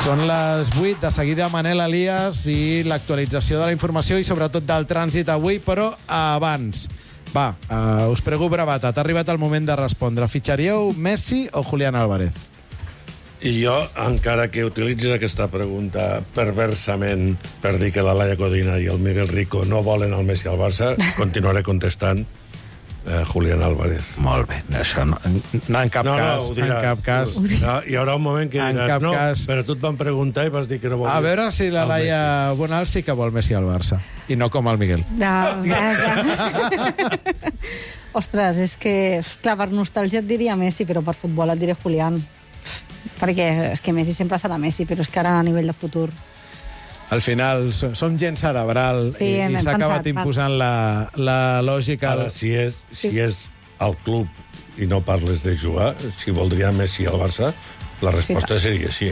Són les 8, de seguida Manel Elias i l'actualització de la informació i sobretot del trànsit avui, però abans. Va, us prego brevetat, ha arribat el moment de respondre. Fitxaríeu Messi o Julián Álvarez? I jo, encara que utilitzis aquesta pregunta perversament per dir que la Laia Codina i el Miguel Rico no volen el Messi al Barça, continuaré contestant Julián Álvarez. Molt bé, això no, en cap cas. En cap cas. Hi haurà un moment que diràs, no, però tu et van preguntar i vas dir que no volies. A veure si la Laia Bonal sí que vol Messi al Barça, i no com el Miguel. Ostres, és que, clar, per nostàlgia et diria Messi, però per futbol et diré Julián. Perquè és que Messi sempre serà Messi, però és que ara a nivell de futur... Al final, som gent cerebral i s'ha acabat imposant la lògica... Ara, si és el club i no parles de jugar, si voldria Messi al Barça, la resposta seria sí.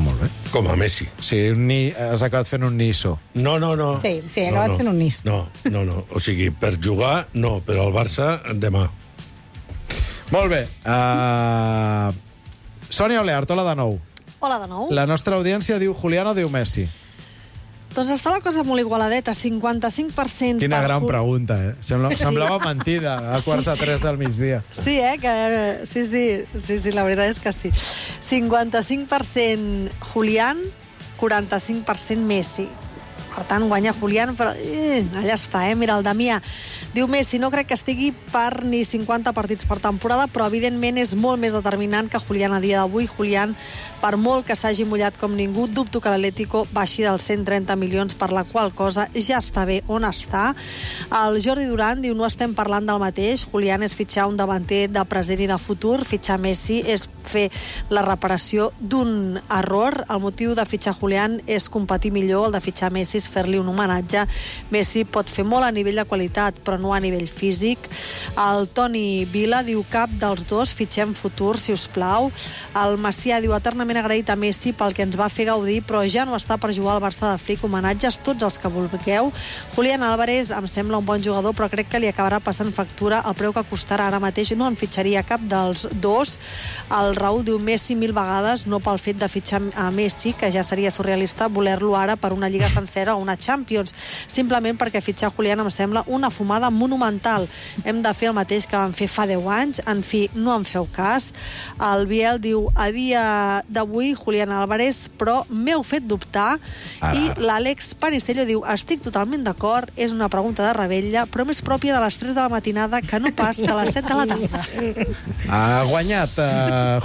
Molt bé. Com a Messi. Sí, has acabat fent un Niso. No. Sí, he acabat fent un Niso. No. O sigui, per jugar, no, però al Barça, demà. Molt bé. Sònia Oleart, hola de nou. Hola de nou. La nostra audiència diu Julián o diu Messi? Doncs està la cosa molt igualadeta, 55%... Quina gran pregunta, eh? Semblava mentida, a quarts de 3 del migdia. Sí, sí, la veritat és que sí. 55% Julián, 45% Messi. Per tant, guanya Julián, però allà està, Mira, el Damià diu Messi, no crec que estigui per ni 50 partits per temporada, però evidentment és molt més determinant que Julián a dia d'avui. Julián, per molt que s'hagi mullat com ningú, dubto que l'Atlético baixi dels 130 milions, per la qual cosa ja està bé on està. El Jordi Duran diu, no estem parlant del mateix. Julián és fitxar un davanter de present i de futur. Fitxar Messi és fer la reparació d'un error. El motiu de fitxar Julián és competir millor, el de fitxar Messi és fer-li un homenatge. Messi pot fer molt a nivell de qualitat, però no a nivell físic. El Toni Vila diu, cap dels dos, fitxem futur, si us plau. El Macià diu, eternament agraït a Messi pel que ens va fer gaudir, però ja no està per jugar al Barça de fric. Homenatges, tots els que vulgueu. Julián Álvarez em sembla un bon jugador, però crec que li acabarà passant factura el preu que costarà ara mateix. No en fitxaria cap dels dos. El Raúl diu, Messi 1000 vegades, no pel fet de fitxar a Messi, que ja seria surrealista voler-lo ara per una lliga sencera o una Champions, simplement perquè fitxar Julián em sembla una fumada monumental. Hem de fer el mateix que vam fer fa 10 anys. En fi, no en feu cas. El Biel diu, a dia d'avui Julián Álvarez, però m'heu fet dubtar. I l'Àlex Panicello diu, estic totalment d'acord, és una pregunta de rebella, però més pròpia de les 3 de la matinada que no pas de les 7 de la tarda. Ha guanyat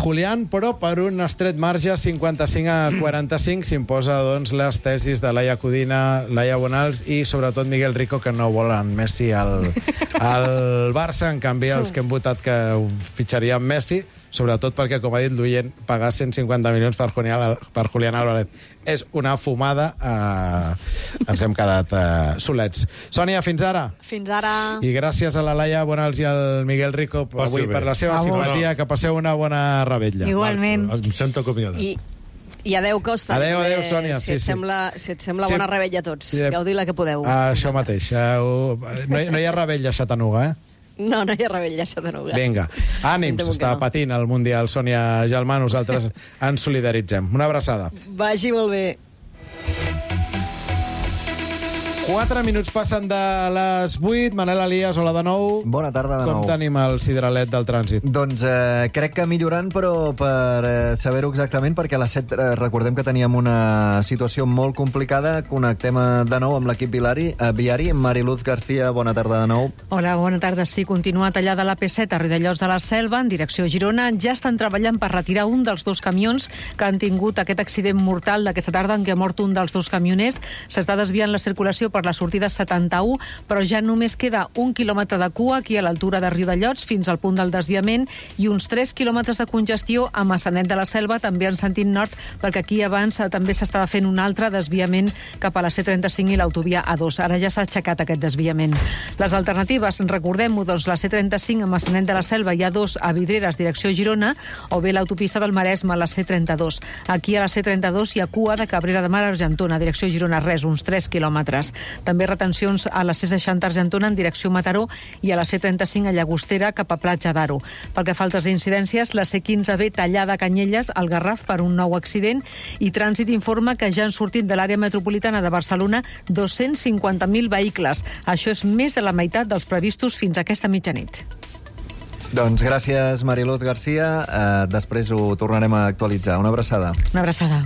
Julián, però per un estret marge, 55-45, s'imposa doncs les tesis de Laia Codina, Laia Bonals i sobretot Miguel Rico, que no volen Messi al Barça. En canvi, els que hem votat que fitxarien Messi, sobretot perquè, com ha dit l'oient, pagar 150 milions per Julián Álvarez és una fumada. Ens hem quedat solets. Sònia, fins ara. Fins ara. I gràcies a la Laia Bonals i al Miguel Rico avui per la seva simpatia. Que passeu una bona revetlla. Igualment. Em sento acomiadat. I adeu, Costa. Adeu, Sònia. Si et sembla bona rebella a tots. Gaudir-la que podeu. Això mateix. No hi ha rebella a Xatanuga, eh? No hi ha rebella a Xatanuga. Vinga, ànims, està patint el Mundial, Sònia Gelmà, nosaltres ens solidaritzem. Una abraçada. Vagi molt bé. 4 minuts passen de les 8. Manel Elias, hola de nou. Bona tarda de nou. Com tenim el sideralet del trànsit? Doncs crec que millorant, però per saber-ho exactament, perquè a les 7 recordem que teníem una situació molt complicada. Connectem de nou amb l'equip viari. Mariluz García, bona tarda de nou. Hola, bona tarda. Sí, continua tallada la P7 a Riudellots de la Selva, en direcció a Girona. Ja estan treballant per retirar un dels dos camions que han tingut aquest accident mortal d'aquesta tarda en què ha mort un dels dos camioners. S'està desviant la circulació per la sortida 71, però ja només queda 1 quilòmetre de cua aquí a l'altura de Riudellots fins al punt del desviament i uns 3 quilòmetres de congestió a Massanet de la Selva, també en sentit nord, perquè aquí abans també s'estava fent un altre desviament cap a la C35 i l'autovia A2. Ara ja s'ha aixecat aquest desviament. Les alternatives, recordem-ho, doncs la C35 a Massanet de la Selva i A2 a Vidreres, direcció Girona, o bé l'autopista del Maresme, la C32. Aquí a la C32 hi ha cua de Cabrera de Mar a Argentona, direcció Girona, res, uns 3 quilòmetres. També retencions a la C60 Argentona en direcció Mataró i a la C35 a Llagostera cap a Platja d'Aro. Pel que fa a altres incidències, la C15B tallada a Canyelles, al Garraf, per un nou accident, i Trànsit informa que ja han sortit de l'àrea metropolitana de Barcelona 250.000 vehicles. Això és més de la meitat dels previstos fins a aquesta mitjanit. Doncs gràcies, Mariluz Garcia. Després ho tornarem a actualitzar. Una abraçada. Una abraçada.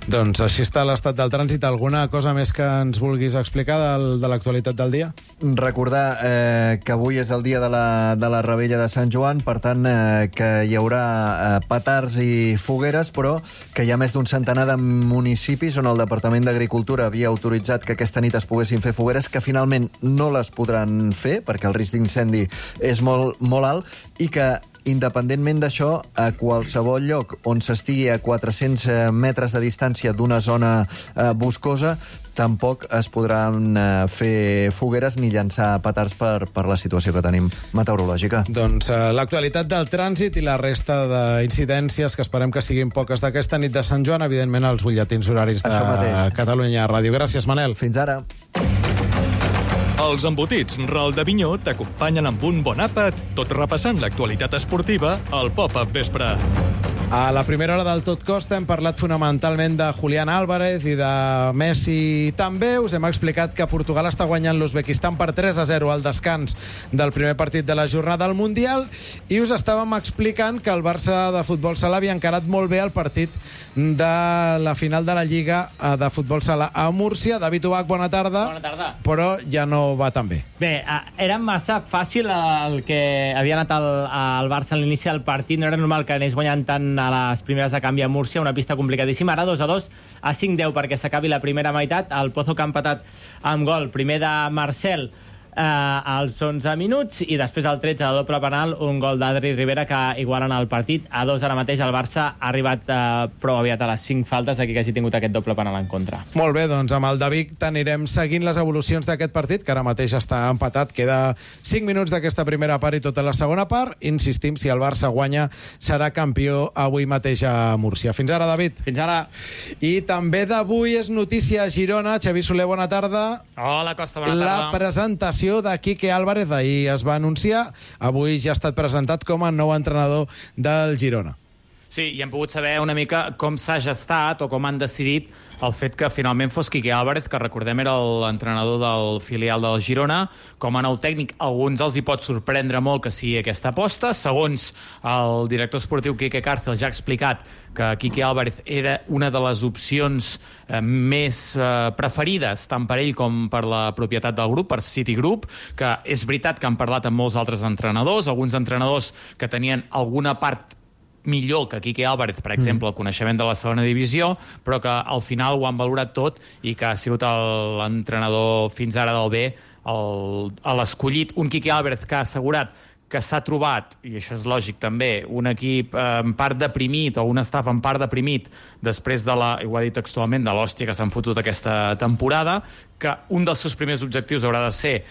Doncs així està l'estat del trànsit. Alguna cosa més que ens vulguis explicar de l'actualitat del dia? Recordar que avui és el dia de la Rebella de Sant Joan, per tant que hi haurà petards i fogueres, però que hi ha més d'un centenar de municipis on el Departament d'Agricultura havia autoritzat que aquesta nit es poguessin fer fogueres, que finalment no les podran fer perquè el risc d'incendi és molt, molt alt, i que independentment d'això, a qualsevol lloc on s'estigui a 400 metres de distància d'una zona boscosa, tampoc es podran fer fogueres ni llançar petards per la situació que tenim meteorològica. Doncs l'actualitat del trànsit i la resta d'incidències, que esperem que siguin poques d'aquesta nit de Sant Joan, evidentment als butlletins horaris de Catalunya Ràdio. Gràcies, Manel. Fins ara. Els embotits Ral de Vinyó t'acompanyen amb un bon àpat, tot repassant l'actualitat esportiva al Pop-Up Vespre. A la primera hora del Tot Costa hem parlat fonamentalment de Julián Álvarez i de Messi també. Us hem explicat que Portugal està guanyant l'Uzbekistan per 3-0 al descans del primer partit de la jornada al Mundial, i us estàvem explicant que el Barça de futbol sala havia encarat molt bé el partit de la final de la Lliga de futbol sala a Múrcia. David Ubach, bona tarda. Bona tarda. Però ja no va tan bé. Bé, era massa fàcil el que havia anat al Barça a l'inici del partit. No era normal que anés guanyant tant a les primeres de canvi a Múrcia, una pista complicadíssima. Ara 2-2 a 5-10 perquè s'acabi la primera meitat. El Pozo que ha empatat amb gol, primer de Marcel als 11 minuts, i després al 13 de doble penal, un gol d'Adri Rivera que igualen el partit a 2. Ara mateix el Barça ha arribat prou aviat a les 5 faltes d'aquí que hagi tingut aquest doble penal en contra. Molt bé, doncs amb el David t'anirem seguint les evolucions d'aquest partit, que ara mateix està empatat. Queda 5 minuts d'aquesta primera part i tota la segona part. Insistim, si el Barça guanya, serà campió avui mateix a Múrcia. Fins ara, David. Fins ara. I també d'avui és notícia a Girona. Xavi Soler, bona tarda. Hola, Costa, bona tarda. La presentació de Quique Álvarez ahir es va anunciar. Avui ja ha estat presentat com a nou entrenador del Girona. Sí, i hem pogut saber una mica com s'ha gestat o com han decidit el fet que finalment fos Quique Álvarez, que recordem era l'entrenador del filial del Girona, com a nou tècnic. A alguns els hi pot sorprendre molt que sigui aquesta aposta. Segons el director esportiu Quique Cárcel ja ha explicat que Quique Álvarez era una de les opcions més preferides tant per ell com per la propietat del grup, per Citigroup, que és veritat que han parlat amb molts altres entrenadors, alguns entrenadors que tenien alguna part millor que Quique Álvarez, per exemple, el coneixement de la segona divisió, però que al final ho han valorat tot i que ha sigut l'entrenador fins ara del B l'escollit. Un Quique Álvarez que ha assegurat que s'ha trobat, i això és lògic també, un equip en part deprimit o un staff en part deprimit després de i ho ha dit textualment, de l'hòstia que s'han fotut aquesta temporada, que un dels seus primers objectius haurà de ser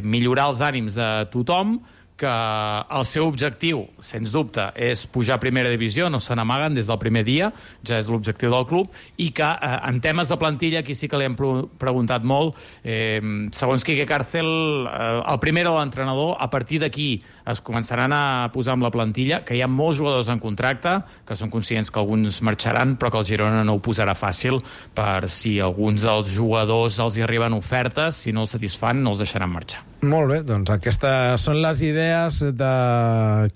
millorar els ànims de tothom, que el seu objectiu, sens dubte, és pujar a primera divisió, no se n'amaguen des del primer dia, ja és l'objectiu del club, i que en temes de plantilla aquí sí que li hem preguntat molt. Segons Quique Cárcel, el primer era l'entrenador, a partir d'aquí es començaran a posar amb la plantilla, que hi ha molts jugadors en contracte, que són conscients que alguns marxaran, però que el Girona no ho posarà fàcil, per si alguns dels jugadors els hi arriben ofertes, si no els satisfan, no els deixaran marxar. Molt bé, doncs aquestes són les idees de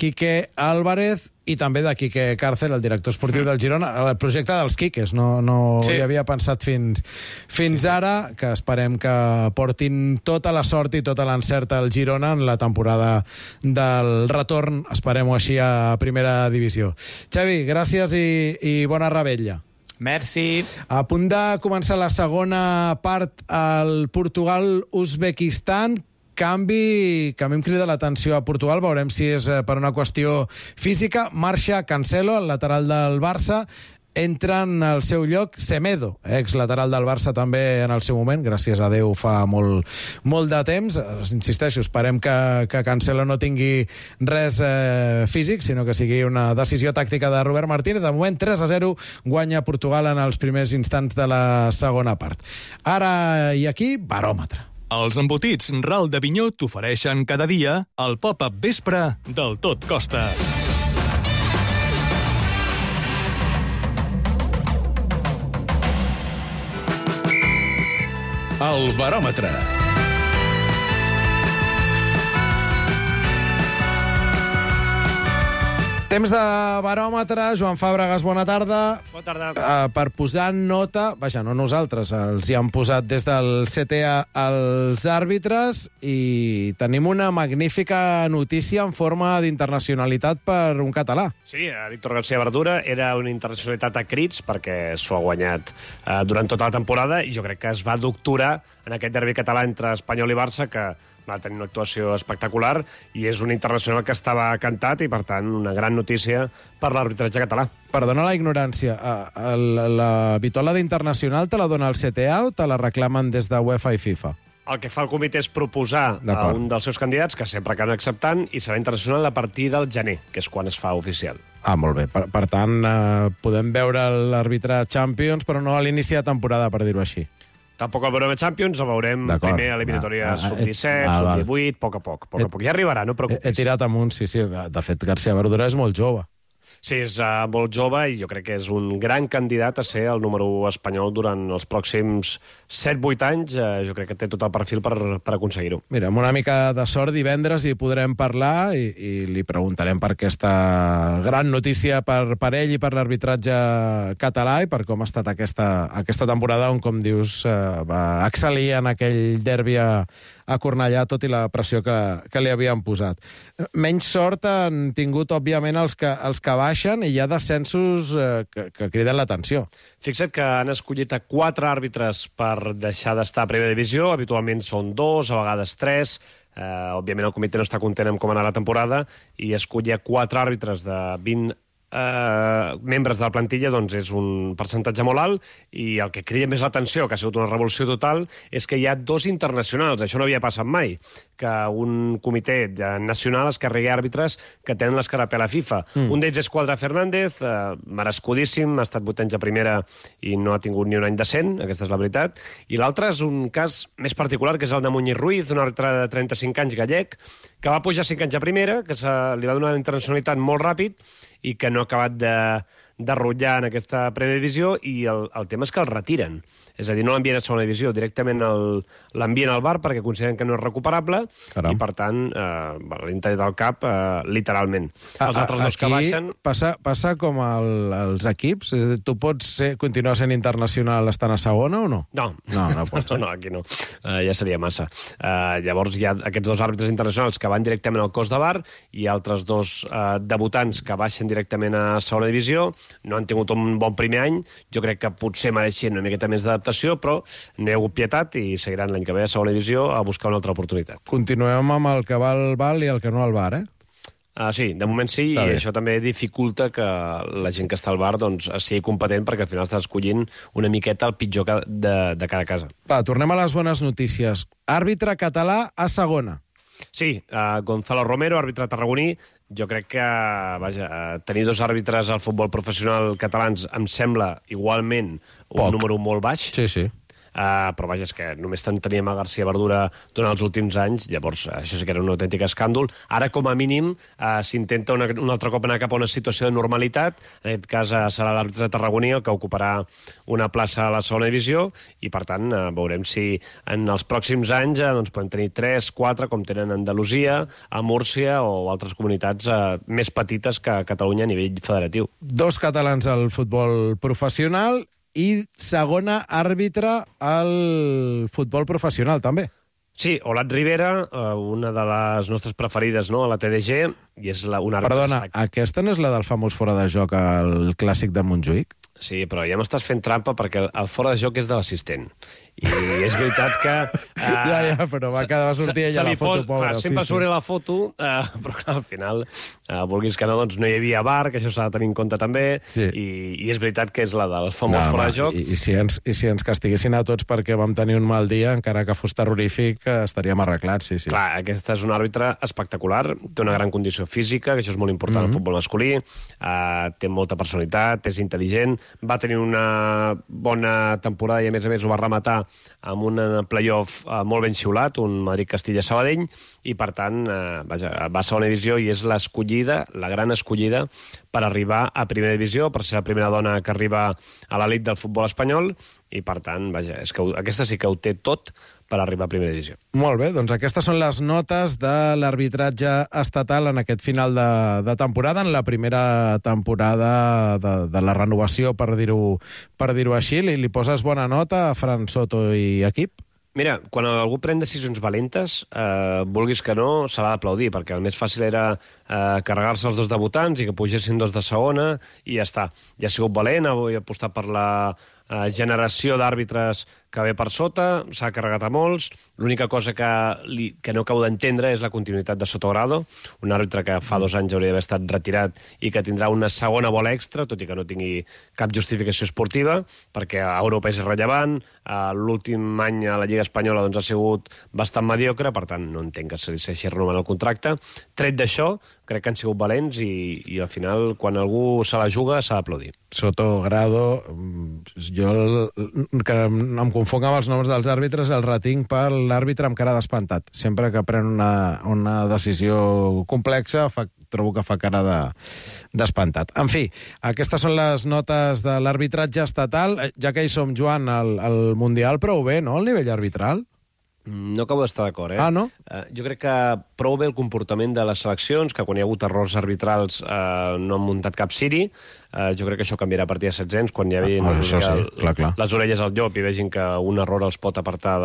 Quique Álvarez i també de Quique Cárcel, el director esportiu del Girona. El projecte dels Quiques, no hi havia pensat fins ara, que esperem que portin tota la sort i tota l'encert al Girona en la temporada del retorn, esperem-ho així, a primera divisió. Xavi, gràcies i bona revetlla. Merci. A punt de començar la segona part al Portugal-Uzbekistan. Canvi que a mi em crida l'atenció a Portugal, veurem si és per una qüestió física. Marxa Cancelo, el lateral del Barça, entra en el seu lloc Semedo, ex-lateral del Barça també en el seu moment, gràcies a Déu fa molt de temps. Insisteixo, esperem que Cancelo no tingui res físic, sinó que sigui una decisió tàctica de Robert Martínez. De moment 3-0 guanya Portugal en els primers instants de la segona part. Ara i aquí, baròmetre. Els embotits Ral de Vinyó t'ofereixen cada dia el pop-up vespre del Tot Costa. El baròmetre. Temps de baròmetre. Joan Fàbregas, bona tarda. Bona tarda. Per posar nota, vaja, no nosaltres, els hi han posat des del CTA als àrbitres i tenim una magnífica notícia en forma d'internacionalitat per un català. Sí, Víctor García Verdura era una internacionalitat a crits perquè s'ho ha guanyat durant tota la temporada i jo crec que es va doctorar en aquest derbi català entre Espanyol i Barça, que va tenir una actuació espectacular i és un internacional que estava cantat i, per tant, una gran notícia per l'arbitratge català. Perdona la ignorància, la vitola d'internacional te la dona el CTA o te la reclamen des de UEFA i FIFA? El que fa el comitè és proposar a un dels seus candidats, que sempre acaben acceptant, i serà internacional a partir del gener, que és quan es fa oficial. Ah, molt bé. Per tant, podem veure l'àrbitre Champions, però no a l'inici de temporada, per dir-ho així. Tampoc el veurem a Champions, el veurem primer a l'eliminatòria sub-17, sub-18, a poc a poc. Ja arribarà, no preocupis. He tirat amunt, sí. De fet, García Verdura és molt jove. Sí, és molt jove i jo crec que és un gran candidat a ser el número 1 espanyol durant els pròxims 7-8 anys. Jo crec que té tot el perfil per aconseguir-ho. Mira, amb una mica de sort divendres hi podrem parlar i li preguntarem per aquesta gran notícia per ell i per l'arbitratge català i per com ha estat aquesta temporada on, com dius, va excel·lir en aquell derbi a Cornellà, tot i la pressió que li havien posat. Menys sort han tingut, òbviament, els que baixen i hi ha descensos que criden l'atenció. Fixa't que han escollit a 4 àrbitres per deixar d'estar a primera divisió. Habitualment són 2, a vegades 3. Òbviament el comitè no està content amb com ha anat la temporada i escollir 4 àrbitres de 20 membres de la plantilla doncs és un percentatge molt alt i el que crida més l'atenció, que ha sigut una revolució total, és que hi ha 2 internacionals. Això no havia passat mai, que un comitè nacional es carregui àrbitres que tenen l'escarapel a FIFA. Un d'ells és Quadra Fernández, merescudíssim, ha estat 8 anys a primera i no ha tingut ni un any decent, aquesta és la veritat, i l'altre és un cas més particular, que és el de Muñiz Ruiz, un àrbitre de 35 anys gallec, que va pujar 5 anys a primera, que li va donar una internacionalitat molt ràpid i que no ha acabat de rotllar en aquesta primera divisió i el tema és que el retiren. És a dir, no l'envien a segona divisió, directament l'envien al bar perquè consideren que no és recuperable. Caram. I, per tant, l'interès del cap, literalment. Els altres dos que baixen... Passa com als equips? Tu pots continuar sent internacional estant a segona o no? No. No pots. No, aquí no. Ja seria massa. Llavors hi ha aquests 2 àrbitres internacionals que van directament al cos de bar i altres 2 debutants que baixen directament a segona divisió. No han tingut un bon primer any. Jo crec que potser mereixen una miqueta més d'adaptació, però no hi ha hagut pietat i seguiran l'any que ve a segona divisió a buscar una altra oportunitat. Continuem amb el que val i el que no al bar, Sí, de moment sí, i això també dificulta que la gent que està al bar sigui competent perquè al final estàs escollint una miqueta el pitjor de cada casa. Tornem a les bones notícies. Àrbitre català a segona. Sí, Gonzalo Romero, àrbitre tarragoní. Jo crec que, tenir 2 àrbitres al futbol professional catalans em sembla igualment un número molt baix. Sí. Però és que només teníem a García Verdura durant els últims anys, llavors això sí que era un autèntic escàndol. Ara, com a mínim, s'intenta un altre cop anar cap a una situació de normalitat. En aquest cas serà l'àrbitre tarragoní el que ocuparà una plaça a la segona divisió i, per tant, veurem si en els pròxims anys podem tenir 3, 4, com tenen a Andalusia, a Múrcia o altres comunitats més petites que Catalunya a nivell federatiu. 2 catalans al futbol professional i segona àrbitre al futbol professional, també. Sí, Olat Rivera, una de les nostres preferides, a la TDG, i és una àrbitre... Perdona, aquesta no és la del famós fora de joc al Clàssic de Montjuïc? Sí, però ja m'estàs fent trampa perquè el fora de joc és de l'assistent. I és veritat que... Ja, però va sortir ella la foto, pobra. Sempre surt la foto, però clar, al final, vulguis que no, doncs no hi havia VAR, que això s'ha de tenir en compte també, i és veritat que és la del famós fora de joc. I si ens castiguessin a tots perquè vam tenir un mal dia, encara que fos terrorífic, estaríem arreglats, sí. Clar, aquesta és un àrbitre espectacular, té una gran condició física, que això és molt important al futbol masculí, té molta personalitat, és intel·ligent, va tenir una bona temporada i a més ho va rematar amb un playoff molt ben xiulat, un Madrid-Castilla-Sabadell, i per tant va a segona divisió i és l'escollida, la gran escollida per arribar a primera divisió, per ser la primera dona que arriba a l'elit del futbol espanyol, i per tant, és que aquesta sí que ho té tot per arribar a primera divisió. Molt bé, doncs aquestes són les notes de l'arbitratge estatal en aquest final de temporada, en la primera temporada de la renovació, per dir-ho així. Li poses bona nota a Fran Soto i equip? Mira, quan algú pren decisions valentes, vulguis que no, se l'ha d'aplaudir, perquè el més fàcil era carregar-se els dos debutants i que pugessin dos de segona i ja està. Ja ha sigut valent, ha apostat per la generació d'àrbitres que ve per sota, s'ha carregat a molts. L'única cosa que no acabo d'entendre és la continuïtat de Sotogrado, un àrbitre que fa 2 anys hauria d'haver estat retirat i que tindrà una segona bola extra, tot i que no tingui cap justificació esportiva, perquè a Europa és rellevant, l'últim any a la Lliga Espanyola ha sigut bastant mediocre, per tant no entenc que se li segueixi renovant el contracte. Tret d'això, crec que han sigut valents i al final, quan algú se la juga, s'ha d'aplaudir. Sotogrado, jo que em confonc amb els noms dels àrbitres, el retinc per l'àrbitre amb cara d'espantat. Sempre que pren una decisió complexa, trobo que fa cara d'espantat. En fi, aquestes són les notes de l'arbitratge estatal. Ja que hi som, Joan, el Mundial prou bé, no?, el nivell arbitral? No acabo d'estar d'acord, Ah, no? Jo crec que prou bé el comportament de les seleccions, que quan hi ha hagut errors arbitrals no han muntat cap ciri. Jo crec que això canviarà a partir de 7 anys, quan hi hagi les orelles al llop i vegin que un error els pot apartar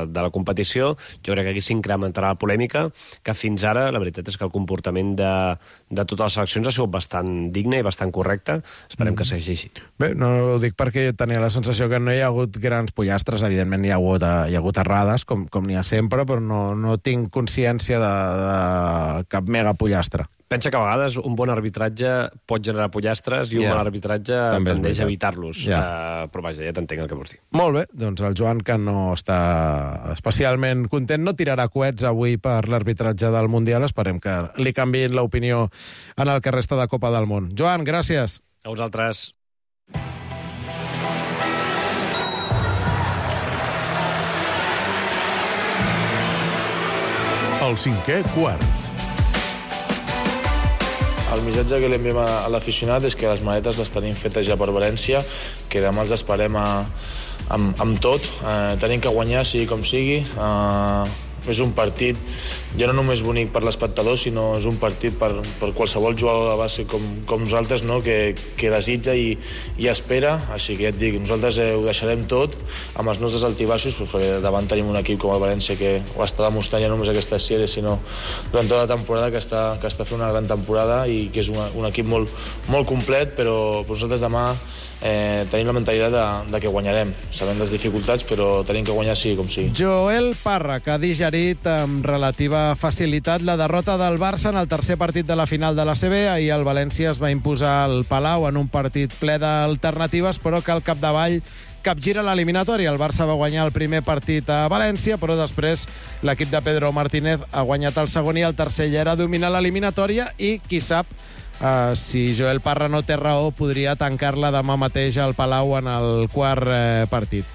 de la competició. Jo crec que aquí s'incrementarà la polèmica, que fins ara la veritat és que el comportament de totes les seleccions ha sigut bastant digne i bastant correcte. Esperem que segueixi així. Bé, no ho dic perquè tenia la sensació que no hi ha hagut grans pollastres. Evidentment hi ha hagut errades, com n'hi ha sempre, però no tinc consciència de cap mega pollastre. Pensa que a vegades un bon arbitratge pot generar pollastres i un mal arbitratge tendeix a evitar-los. Però vaja, ja t'entenc el que vols dir. Molt bé, doncs el Joan, que no està especialment content, no tirarà coets avui per l'arbitratge del Mundial. Esperem que li canviïn l'opinió en el que resta de Copa del Món. Joan, gràcies. A vosaltres. El 5è quart. El missatge que li enviem a l'aficionat és que les maletes les tenim fetes ja per València, que demà els esperem amb tot. Tenim que guanyar, sigui com sigui. És un partit, ja no només bonic per l'espectador, sinó és un partit per qualsevol jugador de base com nosaltres, no? que desitja i espera. Així que ja et dic, nosaltres ho deixarem tot amb els nostres altibaixos, perquè davant tenim un equip com el València que ho està demostrant ja no només aquestes sèries, sinó durant tota la temporada, que està fent una gran temporada i que és un equip molt complet, però nosaltres demà tenim la mentalitat de que guanyarem, sabent les dificultats, però tenim que guanyar sigui com sigui. Joel Parra, que ha digerit amb relativa facilitat la derrota del Barça en el tercer partit de la final de la CB. Ahir el València es va imposar al Palau en un partit ple d'alternatives, però que al capdavall capgira l'eliminatòria. El Barça va guanyar el primer partit a València, però després l'equip de Pedro Martínez ha guanyat el segon i el tercer ja era dominar l'eliminatòria i, qui sap, si Joel Parra no té raó, podria tancar-la demà mateix al Palau en el quart partit.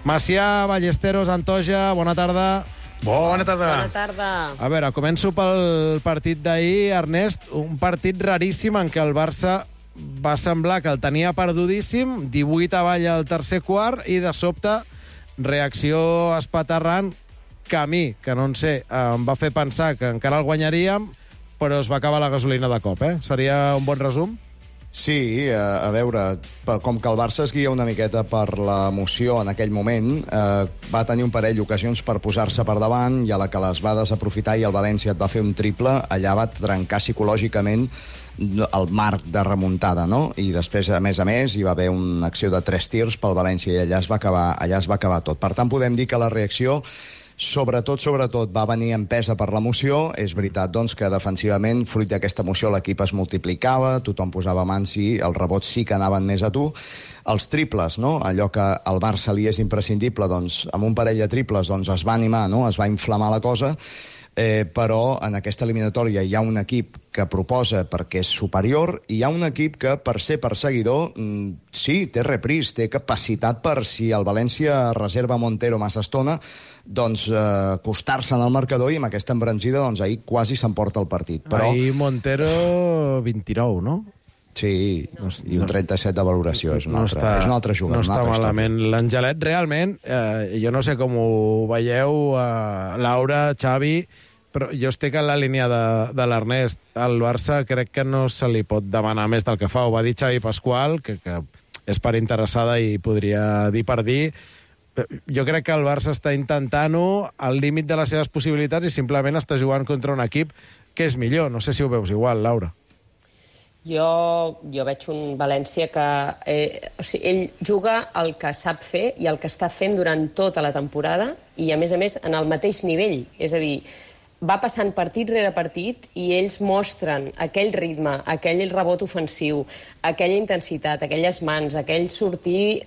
Macià, Ballesteros, Antoja, bona tarda. Bona tarda. Bona tarda. A veure, començo pel partit d'ahir, Ernest. Un partit raríssim en què el Barça va semblar que el tenia perdudíssim, 18 avall al tercer quart, i de sobte, reacció espaterrant, que a mi, que no en sé, em va fer pensar que encara el guanyaríem, però es va acabar la gasolina de cop, Seria un bon resum? Sí, a veure, com que el Barça es guia una miqueta per l'emoció en aquell moment, va tenir un parell d'ocasions per posar-se per davant, i a la que les va desaprofitar i el València et va fer un triple, allà va trencar psicològicament el marc de remuntada, no? I després, a més, hi va haver una acció de 3 tirs pel València i allà es va acabar tot. Per tant, podem dir que la reacció sobretot, va venir empesa per l'emoció. És veritat, doncs, que defensivament, fruit d'aquesta emoció, l'equip es multiplicava, tothom posava mans i els rebots sí que anaven més a tu. Els triples, no? Allò que al Barça li és imprescindible, doncs, amb un parell de triples doncs, es va animar, no? Es va inflamar la cosa, però en aquesta eliminatòria hi ha un equip que proposa perquè és superior i hi ha un equip que, per ser perseguidor, sí, té repris, té capacitat per, si el València reserva Montero massa estona, doncs acostar-se en el marcador, i amb aquesta embranzida doncs, ahir quasi s'emporta el partit. Però... Ahir Montero 29, no? Sí, i un 37 de valoració. És un altre jugador. No està malament. L'Angelet, realment, jo no sé com ho veieu, Laura, Xavi, però jo estic en la línia de l'Ernest. Al Barça crec que no se li pot demanar més del que fa. Ho va dir Xavi Pasqual, que és per interessada i podria dir per dir. Jo crec que el Barça està intentant-ho al límit de les seves possibilitats i simplement està jugant contra un equip que és millor. No sé si ho veus igual, Laura. Jo veig un València que... ell juga el que sap fer i el que està fent durant tota la temporada i, a més, en el mateix nivell. És a dir, va passant partit rere partit i ells mostren aquell ritme, aquell rebot ofensiu, aquella intensitat, aquelles mans, aquell sortir,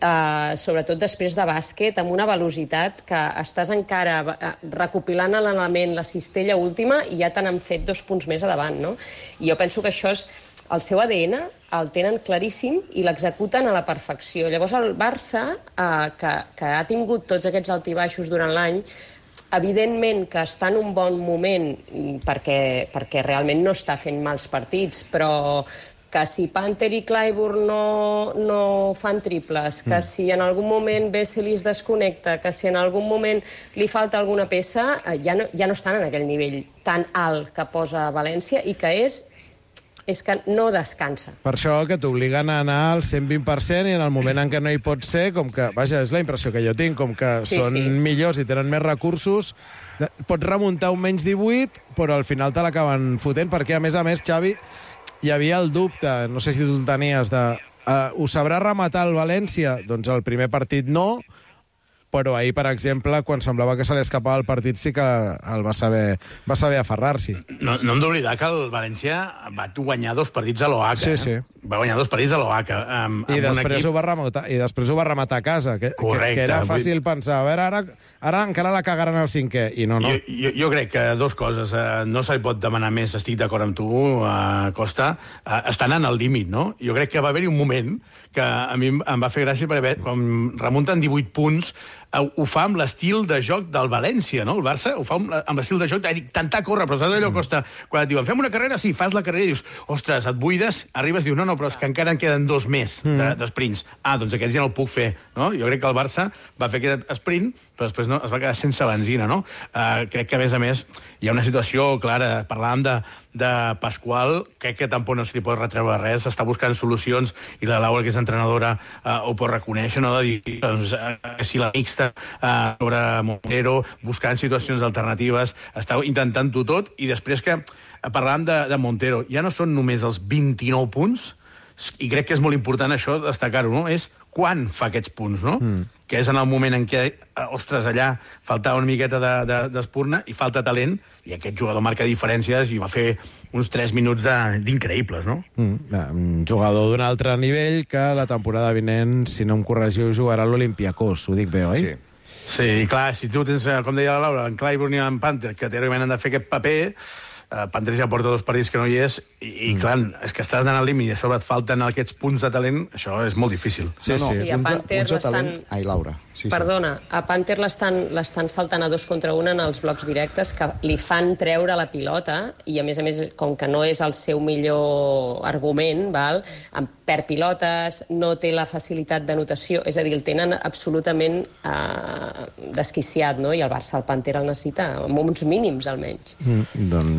sobretot després de bàsquet, amb una velocitat que estàs encara recopilant l'element, la cistella última, i ja te n'han fet 2 punts més a davant, no? I jo penso que això és... El seu ADN el tenen claríssim i l'executen a la perfecció. Llavors el Barça, que ha tingut tots aquests altibaixos durant l'any, evidentment que està en un bon moment perquè realment no està fent mals partits, però que si Panther i Clyburn no fan triples, que si en algun moment Vesely es desconnecta, que si en algun moment li falta alguna peça, ja no estan en aquell nivell tan alt que posa València i que és que no descansa. Per això que t'obliguen a anar al 120% i en el moment en què no hi pot ser, com que, vaja, és la impressió que jo tinc, com que són millors i tenen més recursos, pots remuntar un menys 18, però al final te l'acaben fotent, perquè a més, Xavi, hi havia el dubte, no sé si tu el tenies, ho sabrà rematar el València? Doncs el primer partit no, però ahir, per exemple, quan semblava que se li escapava el partit, sí que el va saber aferrar-s'hi. No hem d'oblidar que el València va guanyar 2 partits a l'OACA. Sí. Va guanyar 2 partits a l'OACA. I després ho va rematar a casa, que era fàcil pensar, a veure, ara encara la cagaran al 5è, i no. Jo crec que 2 coses. No se li pot demanar més, estic d'acord amb tu, Costa. Estan en el límit, no? Jo crec que va haver-hi un moment que a mi em va fer gràcia perquè quan remunten 18 punts ho fa amb l'estil de joc del València, no? El Barça ho fa amb l'estil de joc d'intentar córrer, però saps allò, Costa? Quan et diuen, fem una carrera, sí, fas la carrera i dius, ostres, et buides, arribes i dius, no, però és que encara en queden 2 més d'esprints. Doncs aquests ja no el puc fer, no? Jo crec que el Barça va fer aquest sprint, però després no, es va quedar sense benzina, no? Crec que, a més, hi ha una situació clara. Parlàvem de Pasqual, crec que tampoc no se li pot retreure res, està buscant solucions, i la Laura, que és entrenadora, ho pot reconèixer, no? De dir, si la mixta sobre Montero, buscant situacions alternatives, està intentant-ho tot, i després que parlàvem de Montero, ja no són només els 29 punts, i crec que és molt important això, destacar-ho, no? És quan fa aquests punts, no? Que és en el moment en què, ostres, allà faltava una miqueta d'espurna i falta talent, i aquest jugador marca diferències i va fer uns 3 minuts d'increïbles, no? Un jugador d'un altre nivell que la temporada vinent, si no em corregiu, jugarà a l'Olympiacos, ho dic bé, oi? Sí, i clar, si tu tens, com deia la Laura, en Clyburn i en Panther, que teòricament han de fer aquest paper, Panther ja porta 2 partits que no hi és, i clar, és que estàs anant al límit i a sobre et falten aquests punts de talent, això és molt difícil. Sí, a Panther l'estan... Ai, Laura. Perdona, a Panther l'estan saltant a 2 contra 1 en els blocs directes que li fan treure la pilota i, a més, com que no és el seu millor argument, perd pilotes, no té la facilitat d'anotació, és a dir, el tenen absolutament desquiciat, no? I el Barça, el Panther el necessita, amb uns mínims almenys.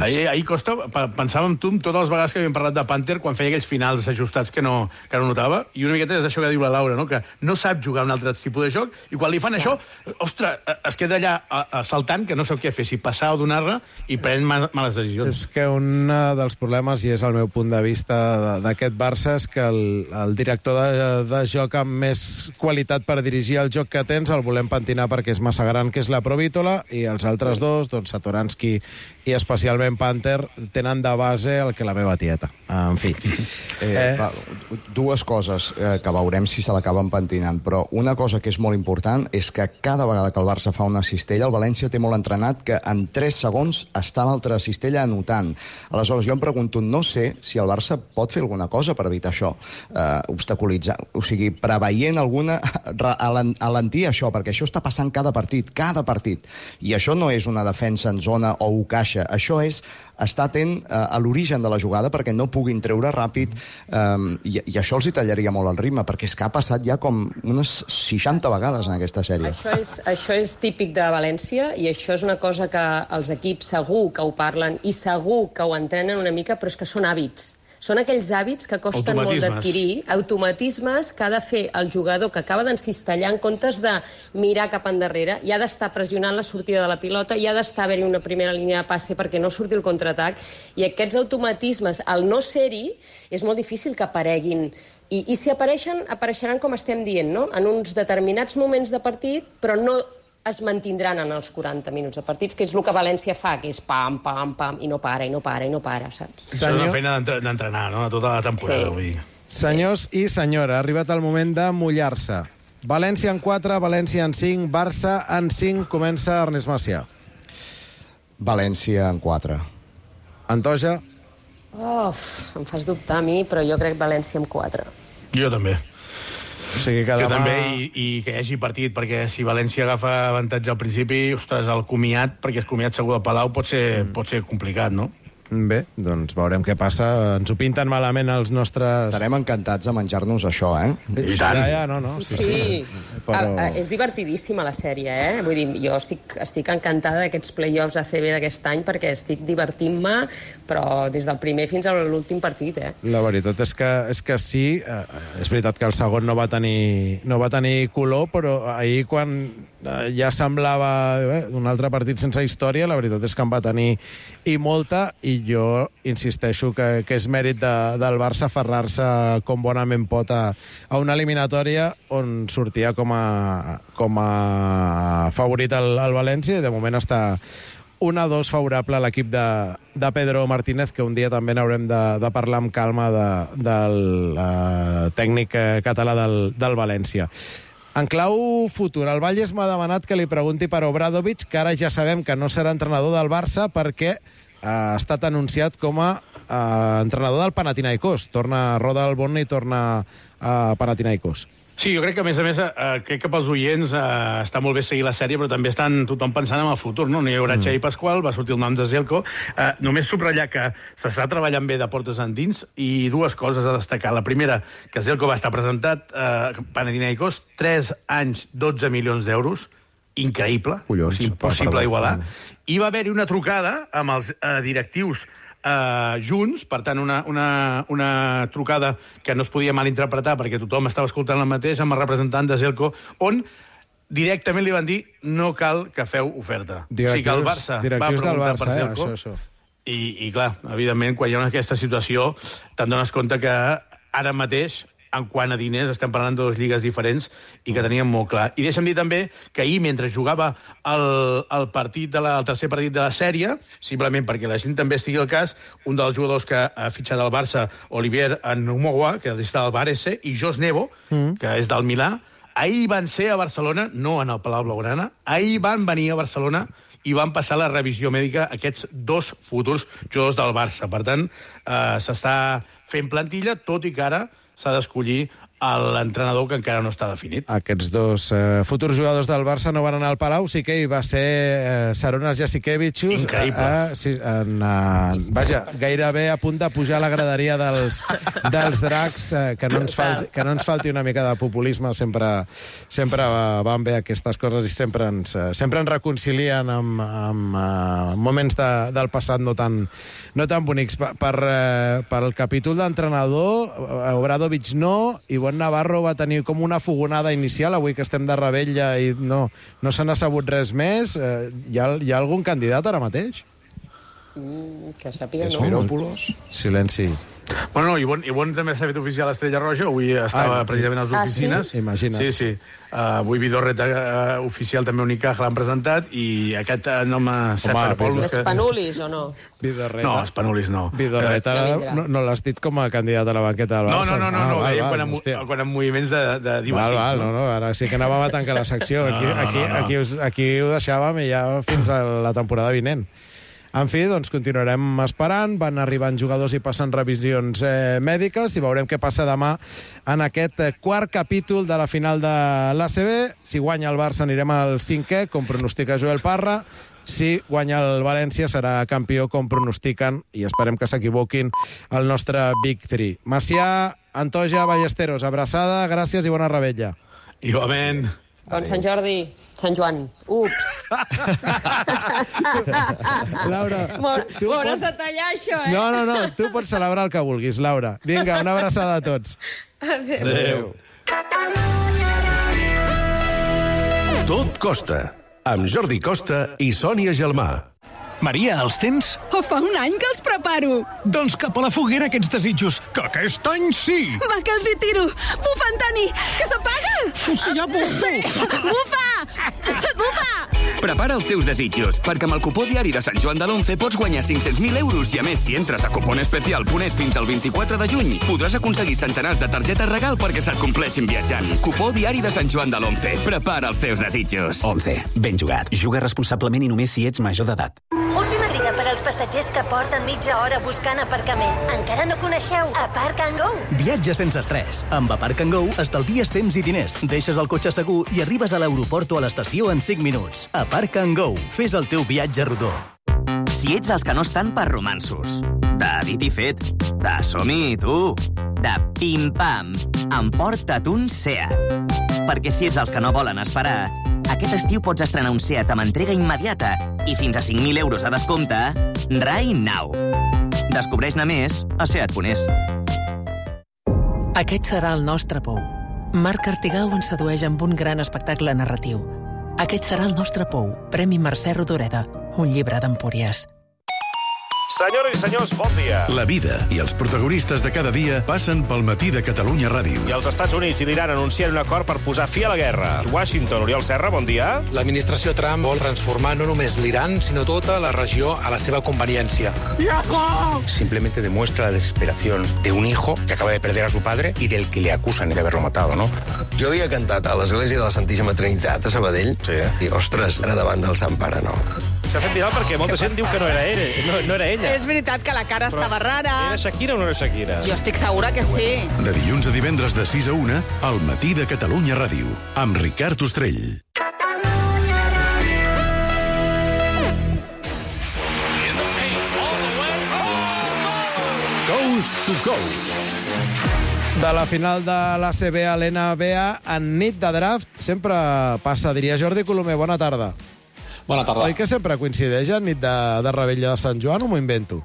Ahir ahir Costa pensava en tu totes les vegades que havíem parlat de Panther quan feia aquells finals ajustats que no notava, i una miqueta és això que diu la Laura, no? Que no sap jugar un altre tipus de joc, i quan li fan això, ostres, es queda allà saltant, que no sap què fer, si passar o donar-la, i pren males decisions. És que un dels problemes, i és el meu punt de vista d'aquest Barça, és que el director de joc amb més qualitat per dirigir el joc que tens el volem pentinar perquè és massa gran, que és la Provítola, i els altres dos, doncs Satoranski i especialment Panther, tenen de base el que la meva tieta. En fi. Dues coses que veurem si se l'acaben pentinant, però una cosa que és molt important és que cada vegada que el Barça fa una cistella, el València té molt entrenat que en 3 segons està l'altra cistella anotant. Aleshores, jo em pregunto, no sé si el Barça pot fer alguna cosa per evitar això, obstaculitzar, o sigui, preveient alguna, alentir això, perquè això està passant cada partit. I això no és una defensa en zona o un caixa, això és estar atent a l'origen de la jugada perquè no puguin treure ràpid, i això els hi tallaria molt el ritme, perquè és que ha passat ja com unes 60 vegades en aquesta sèrie. Això és típic de València, i això és una cosa que els equips segur que ho parlen i segur que ho entrenen una mica, però és que són hàbits. Són aquells hàbits que costen molt d'adquirir, automatismes que ha de fer el jugador que acaba d'encistellar en comptes de mirar cap endarrere, i ha d'estar pressionant la sortida de la pilota, i ha d'estar haver-hi una primera línia de passe perquè no surti el contraatac, i aquests automatismes, al no ser-hi, és molt difícil que apareguin. I si apareixen, apareixeran com estem dient, no? En uns determinats moments de partit, però no es mantindran en els 40 minuts de partits, que és el que València fa, que és pam, pam, pam, i no para, saps? És una feina d'entrenar, no?, tota la temporada. Sí. Senyors i senyora, ha arribat el moment de mullar-se. València en 4, València en 5, Barça en 5. Comença Ernest Macià. València en 4. Antoja? Em fas dubtar a mi, però jo crec València en 4. Jo també. O sigui que demà... també, i que hi hagi partit, perquè si València agafa avantatge al principi, ostres, el comiat, perquè el comiat segur del Palau pot ser complicat, no? Bé, doncs veurem què passa. Ens ho pinten malament els nostres... Estarem encantats de menjar-nos això, I tant. No. Sí. Però... és divertidíssima la sèrie, Vull dir, jo estic encantada d'aquests play-offs ACB d'aquest any perquè estic divertint-me, però des del primer fins a l'últim partit, La veritat és que sí, és veritat que el segon no va tenir color, però ahir quan ja semblava un altre partit sense història, la veritat és que en va tenir i molta, i jo insisteixo que és mèrit del Barça aferrar-se com bonament pot a una eliminatòria on sortia com a favorit el València, i de moment està 1-2 favorable a l'equip de Pedro Martínez, que un dia també n'haurem de parlar amb calma del tècnic català del València. En clau futur, el Valles m'ha demanat que li pregunti per Obradovic, que ara ja sabem que no serà entrenador del Barça perquè ha estat anunciat com a entrenador del Panathinaikos. Roda el Bonn i torna a Panathinaikos. Sí, jo crec que, a més, crec que pels oients està molt bé seguir la sèrie, però també estan tothom pensant en el futur, no? No hi haurà Xavi Pasqual, va sortir el nom de Zelko. Només subratllar que s'està treballant bé de portes endins, i dues coses a destacar. La primera, que Zelko va estar presentat Panathinaikos, 3 anys, 12 milions d'euros, increïble, impossible d'igualar. I va haver-hi una trucada amb els directius junts, per tant, una trucada que no es podia malinterpretar perquè tothom estava escoltant el mateix, amb el representant de Zelko, on directament li van dir no cal que feu oferta. O sigui que el Barça va preguntar per Zelko, i clar, evidentment, quan hi ha aquesta situació, te'n dones compte que ara mateix, en quant a diners, estem parlant de 2 lligues diferents i que teníem molt clar. I deixa'm dir també que ahir, mentre jugava el tercer partit de la sèrie, simplement perquè la gent també estigui al cas, un dels jugadors que ha fitxat al Barça, Olivier Numowa, que està al Varese, i Jos Nevo, que és del Milà, ahir van ser a Barcelona, no en el Palau Blaugrana, ahir van venir a Barcelona i van passar la revisió mèdica aquests 2 futurs jugadors del Barça. Per tant, s'està fent plantilla, tot i que ara s'ha d'escollir l'entrenador que encara no està definit. Aquests dos futurs jugadors del Barça no van anar al Palau, sí que hi va ser Sarunas Jasikevičius. Increïble. Vaja, gairebé a punt de pujar a la graderia dels Dracs, que no ens falti una mica de populisme, sempre van bé aquestes coses i sempre ens reconcilien amb moments del passat no tan bonics. Per el capítol d'entrenador, Obradovic no, i Bon Navarro va tenir com una fogonada inicial, avui que estem de rebella i no se n'ha sabut res més. Hi ha algun candidat ara mateix? Que sàpiga, no. Esferòpolos. Silenci. Bueno, i Bon també s'ha fet oficial a Estrella Roja, avui estava precisament a les oficines. Sí? Imagina't. Sí. Avui Vidorreta oficial també Unicaja l'han presentat, i aquest nom Seferopoulos... Espanulis o no? Vidorreta. No, Espanulis no. Vidorreta no l'has dit com a candidat a la banqueta del Barça. No, ho dèiem quan en moviments de divàtics. No, ara sí que anàvem a tancar la secció. Aquí ho deixàvem i ja fins a la temporada vinent. En fi, doncs continuarem esperant, van arribant jugadors i passen revisions mèdiques i veurem què passa demà en aquest quart capítol de la final de l'ACB. Si guanya el Barça anirem al 5è, com pronostica Joel Parra. Si guanya el València serà campió, com pronostiquen, i esperem que s'equivoquin, el nostre Big 3. Macià, Antoja, Ballesteros, abraçada, gràcies i bona rebella. Igualment. Bon Sant Jordi, Sant Joan. Ups. Laura, M'ho hauràs de tallar, això, eh? No, tu pots celebrar el que vulguis, Laura. Vinga, una abraçada a tots. Adéu. Tot Costa, amb Jordi Costa i Sònia Gelmà. Maria, els tens? Fa un any que els preparo. Doncs cap a la foguera aquests desitjos, que aquest any sí! Va, que els hi tiro! Bufa, Antoni, que s'apaga! Sí, ja bufo! Bufa! Prepara els teus desitjos, perquè amb el cupó diari de Sant Joan de l'11 pots guanyar 500.000 euros i, a més, si entres a cuponespecial.es fins al 24 de juny, podràs aconseguir centenars de targetes regal perquè se't compleixin viatjant. Cupó diari de Sant Joan de l'11. Prepara els teus desitjos. 11. Ben jugat. Juga responsablement i només si ets major d'edat. Última crida per als passatgers que porten mitja hora buscant aparcament. Encara no coneixeu Aparc and Go? Viatge sense estrès. Amb Aparc and Go estalvies temps i diners, deixes el cotxe segur i arribes a l'aeroport o a l'estació en 5 minuts. Aparc and Go. Fes el teu viatge rodó. Si ets dels que no estan per romansos, de dit i fet, de som-hi, tu, de pim-pam, emporta't un Seat. Perquè si ets dels que no volen esperar, aquest estiu pots estrenar un Seat amb entrega immediata i fins a 5.000 euros a descompte right now. Descobreix-ne més a Seat.es. Aquest serà el nostre pou. Marc Artigau ens sedueix amb un gran espectacle narratiu. Aquest serà el nostre pou. Premi Mercè Rodoreda. Un llibre d'Empúries. Senyores i senyors, bon dia. La vida i els protagonistes de cada dia passen pel Matí de Catalunya Ràdio. I els Estats Units i l'Iran anuncien un acord per posar fi a la guerra. Washington, Oriol Serra, bon dia. L'administració Trump vol transformar no només l'Iran, sinó tota la regió a la seva conveniència. Simplemente demuestra la desesperación de un hijo que acaba de perder a su padre y del que le acusan de haberlo matado, ¿no? Jo havia cantat a l'església de la Santíssima Trinitat a Sabadell, i, ostres, ara davant del Sant Pare, no. S'ha fet viral perquè molta gent diu que no era ella. És veritat que la cara estava rara. Era Shakira o no era Shakira? Jo estic segura que sí. De dilluns a divendres de 6 a 1, al Matí de Catalunya Ràdio, amb Ricard Ostrell. Coast to Coast. De la final de l'ACB a l'NBA, en nit de draft, sempre passa, diria Jordi Colomer. Bona tarda. Bona tarda. Oi que sempre coincideix en nit de rebella de Sant Joan o m'ho invento?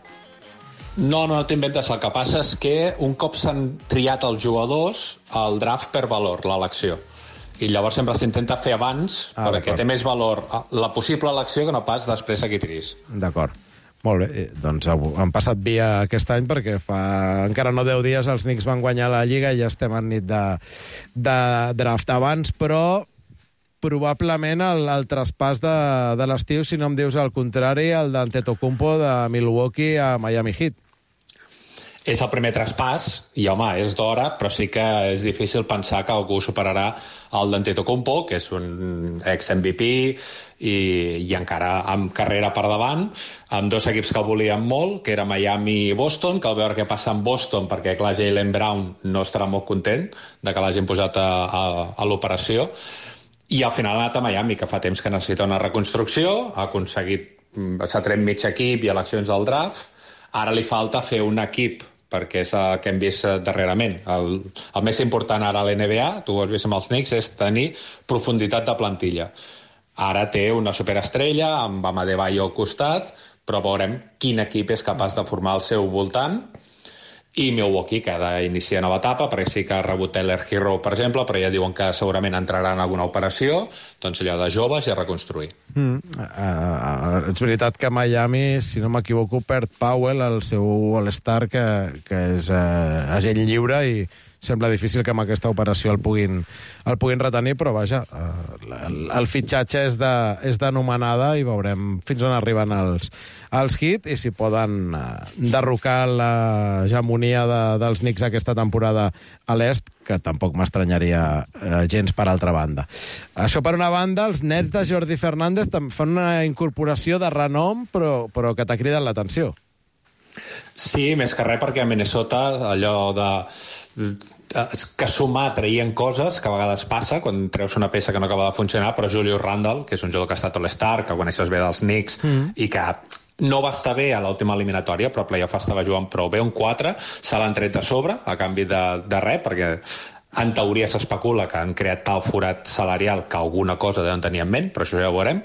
No t'inventes. El que passa és que un cop s'han triat els jugadors, el draft per valor, l'elecció. I llavors sempre s'intenta fer abans, perquè té més valor la possible elecció que no pas després que tris. D'acord. Molt bé, doncs han passat via aquest any perquè fa encara no 10 dies els Knicks van guanyar la Lliga i ja estem en nit de draft. Abans, però, probablement el traspàs de l'estiu, si no em dius el contrari, el d'Antetokounmpo de Milwaukee a Miami Heat. és el primer traspàs, i home, és d'hora, però sí que és difícil pensar que algú superarà el d'Antetokounmpo, que és un ex-MVP i encara amb carrera per davant, amb dos equips que el volien molt, que era Miami i Boston, cal veure què passa amb Boston, perquè clar, Jaylen Brown no estarà molt content de que l'hagin posat a l'operació, i al final ha anat a Miami, que fa temps que necessita una reconstrucció, s'ha tret mig equip i eleccions del draft, ara li falta fer un equip, perquè és el que hem vist darrerament. El més important ara a l'NBA, tu ho has vist amb els Knicks, és tenir profunditat de plantilla. Ara té una superestrella amb Adebayo al costat, però veurem quin equip és capaç de formar al seu voltant. I Milwaukee, que ha d'iniciar nova etapa, perquè sí que ha rebut Tyler Hero, per exemple, però ja diuen que segurament entrarà en alguna operació, doncs allò de joves i a reconstruir. És veritat que Miami, si no m'equivoco, perd Powell, el seu All-Star, que és agent lliure, i sembla difícil que amb aquesta operació el puguin retenir, però vaja, el fitxatge és d'anomenada i veurem fins on arriben els Heat i si poden derrocar l'hegemonia dels Knicks aquesta temporada a l'est, que tampoc m'estranyaria gens per altra banda. Això per una banda, els Nets de Jordi Fernández fan una incorporació de renom, però que t'ha cridat l'atenció. Sí, més que res perquè a Minnesota allò que sumar traient coses que a vegades passa quan treus una peça que no acaba de funcionar, però Julius Randle, que és un jugador que ha estat All-Star, que coneixes bé dels Knicks i que no va estar bé a l'última eliminatòria, però a playoff estava jugant prou bé, un 4, se l'han tret de sobre a canvi de res, perquè en teoria s'especula que han creat tal forat salarial que alguna cosa deuen tenir en ment, però això ja ho veurem.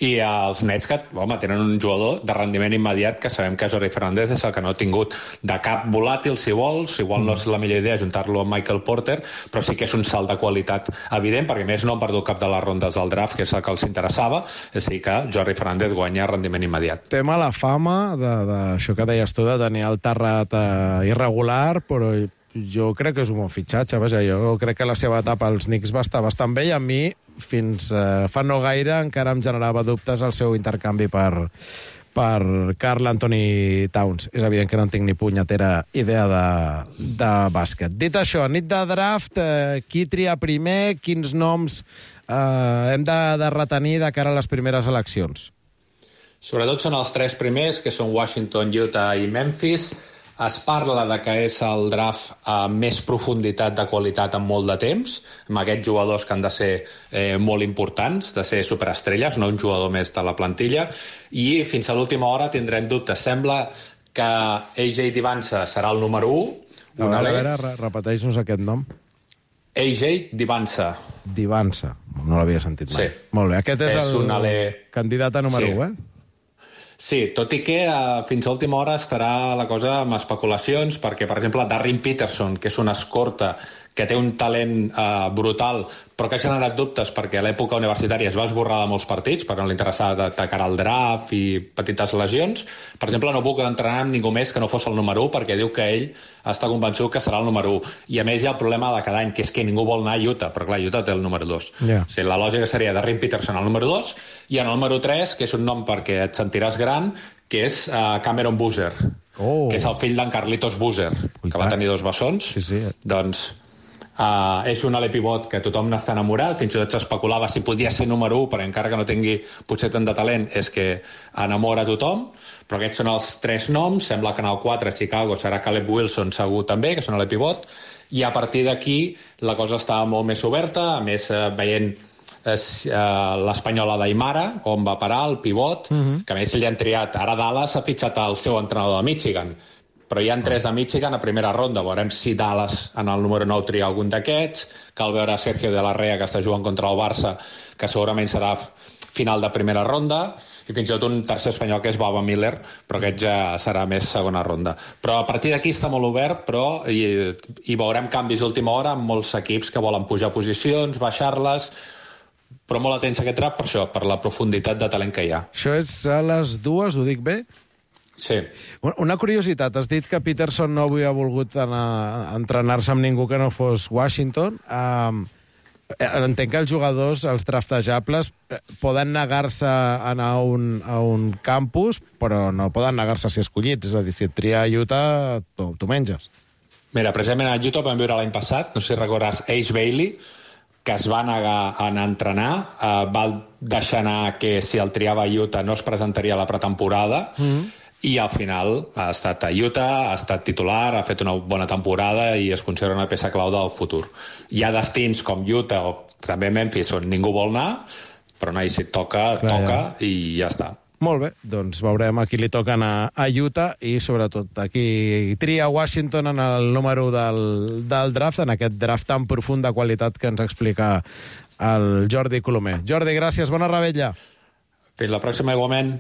I els Nets, que tenen un jugador de rendiment immediat que sabem que Jordi Fernández és el que no ha tingut de cap volàtil, si vols, igual no és la millor idea juntar-lo amb Michael Porter, però sí que és un salt de qualitat evident, perquè més no han perdut cap de les rondes del draft, que és el que els interessava, és a dir que Jordi Fernández guanya rendiment immediat. Té mala fama d'això que deies tu, de tenir el terrat irregular, però jo crec que és un bon fitxatge. Vaja, jo crec que la seva etapa als Knicks va estar bastant bé i a mi, fins fa no gaire, encara em generava dubtes el seu intercanvi per Karl Anthony Towns. És evident que no en tinc ni punyetera idea de bàsquet. Dit això, nit de draft, qui tria primer, quins noms hem de retenir de cara a les primeres eleccions? Sobretot són els 3 primers, que són Washington, Utah i Memphis. Es parla de que és el draft amb més profunditat de qualitat en molt de temps, amb aquests jugadors que han de ser molt importants, de ser superestrelles, no un jugador més de la plantilla, i fins a l'última hora tindrem dubtes. Sembla que AJ Divansa serà el número 1. A veure, repeteix-nos aquest nom. AJ Divansa. Divansa, no l'havia sentit mai. Sí. Molt bé, aquest és el candidat a número 1, Sí, tot i que fins a última hora estarà la cosa amb especulacions, perquè, per exemple, Darren Peterson, que és una escorta que té un talent brutal, però que ha generat dubtes perquè a l'època universitària es va esborrar de molts partits, perquè no li interessava de cara al draft i petites lesions. Per exemple, no puc entrenar amb ningú més que no fos el número 1, perquè diu que ell està convençut que serà el número 1. I a més hi ha el problema de cada any, que és que ningú vol anar a Utah, però clar, Utah té el número 2. Yeah. O sigui, la lògica seria Darren Peterson al número 2, i en el número 3, que és un nom perquè et sentiràs gran, que és Cameron Boozer, que és el fill d'en Carlitos Boozer, que va tenir 2 bessons. Sí. Doncs és un ale pivot que tothom n'està enamorat, fins i tot s'especulava si podia ser número 1, però encara que no tingui potser tant de talent, és que enamora a tothom. Però aquests són els 3 noms. Sembla que en el 4 a Chicago serà Caleb Wilson segur també, que és un ale pivot, i a partir d'aquí la cosa està molt més oberta, a més veient l'espanyola d'Aimara, on va parar el pivot, que a més ell han triat, ara Dallas ha fitxat el seu entrenador de Michigan, però hi ha 3 de Michigan a primera ronda. Veurem si Dallas en el número 9 tria algun d'aquests. Cal veure Sergio de la Rea, que està jugant contra el Barça, que segurament serà final de primera ronda, i fins i tot un tercer espanyol que és Baba Miller, però aquest ja serà més segona ronda. Però a partir d'aquí està molt obert, però hi veurem canvis d'última hora amb molts equips que volen pujar posicions, baixar-les, però molt atents a aquest draft per això, per la profunditat de talent que hi ha. Això és a les 2, ho dic bé? Sí. Una curiositat, has dit que Peterson no havia volgut anar a entrenar-se amb ningú que no fos Washington. entenc que els jugadors, els draftejables, poden negar-se a anar a un campus, però no poden negar-se a ser escollits. És a dir, si et tria Utah, tu menges. Mira, precisament a Utah vam veure l'any passat, no sé si recordes, Ace Bailey, que es va negar a anar a entrenar, va deixar anar que si el triava Utah no es presentaria a la pretemporada, i al final ha estat a Utah, ha estat titular, ha fet una bona temporada i es considera una peça clau del futur. Hi ha destins com Utah o també Memphis on ningú vol anar, però no, si et toca, toca i ja està. Molt bé, doncs veurem a qui li toca anar a Utah i sobretot a qui tria Washington en el número del draft, en aquest draft tan profund de qualitat que ens explica el Jordi Colomer. Jordi, gràcies, bona revetlla. Fins la pròxima, igualment.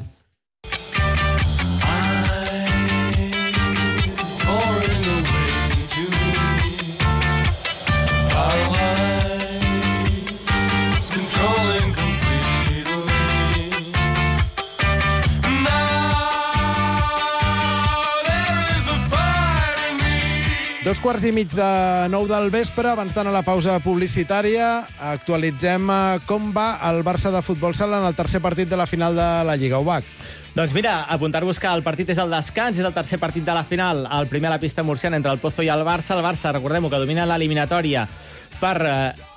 Dos quarts i mig de 9 del vespre, abans d'anar a la pausa publicitària, actualitzem com va el Barça de futbol sala en el tercer partit de la final de la Lliga. Ubac. Doncs mira, apuntar-vos que el partit és el descans, és el tercer partit de la final, el primer a la pista murciana entre el Pozo i el Barça. El Barça, recordem-ho, que domina l'eliminatòria per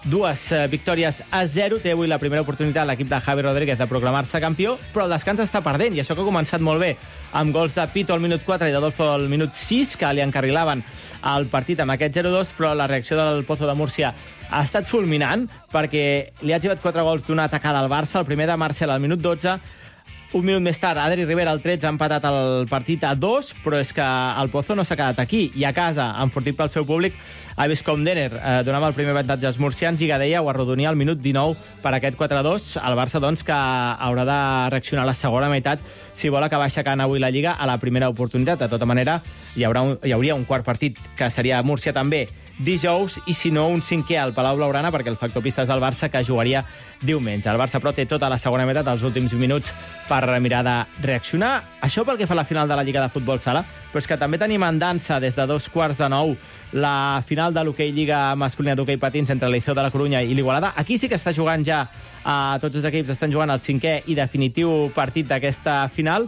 2 victòries a 0. Té avui la primera oportunitat l'equip de Javi Rodríguez de proclamar-se campió, però el descans està perdent, i això que ha començat molt bé, amb gols de Pito al minut 4 i d'Adolfo al minut 6, que li encarrilaven el partit amb aquest 0-2, però la reacció del Pozo de Múrcia ha estat fulminant, perquè li ha llevat 4 gols d'una atacada al Barça, el primer de Marcel al minut 12, un minut més tard, Adri Rivera al 13 ha empatat el partit a 2, però és que el Pozo no s'ha quedat aquí, i a casa, enfortit pel seu públic, ha vist com Denner donava el primer avantatge als murcians i Gadella ho arrodonia al minut 19 per aquest 4-2. El Barça, doncs, que haurà de reaccionar a la segona meitat si vol acabar aixecant avui la Lliga a la primera oportunitat. De tota manera, hi hauria un quart partit, que seria a Múrcia també, dijous, i si no, un cinquè al Palau Blaugrana, perquè el factor pista és del Barça, que jugaria diumenge. El Barça, però, té tota la segona meitat, els últims minuts, per mirar de reaccionar. Això pel que fa a la final de la Lliga de Futbol Sala, però és que també tenim en dansa des de 8:45 la final de l'hoquei Lliga masculina d'hoquei patins entre l'Iceo de la Corunya i l'Igualada. Aquí sí que està jugant ja, tots els equips estan jugant el cinquè i definitiu partit d'aquesta final,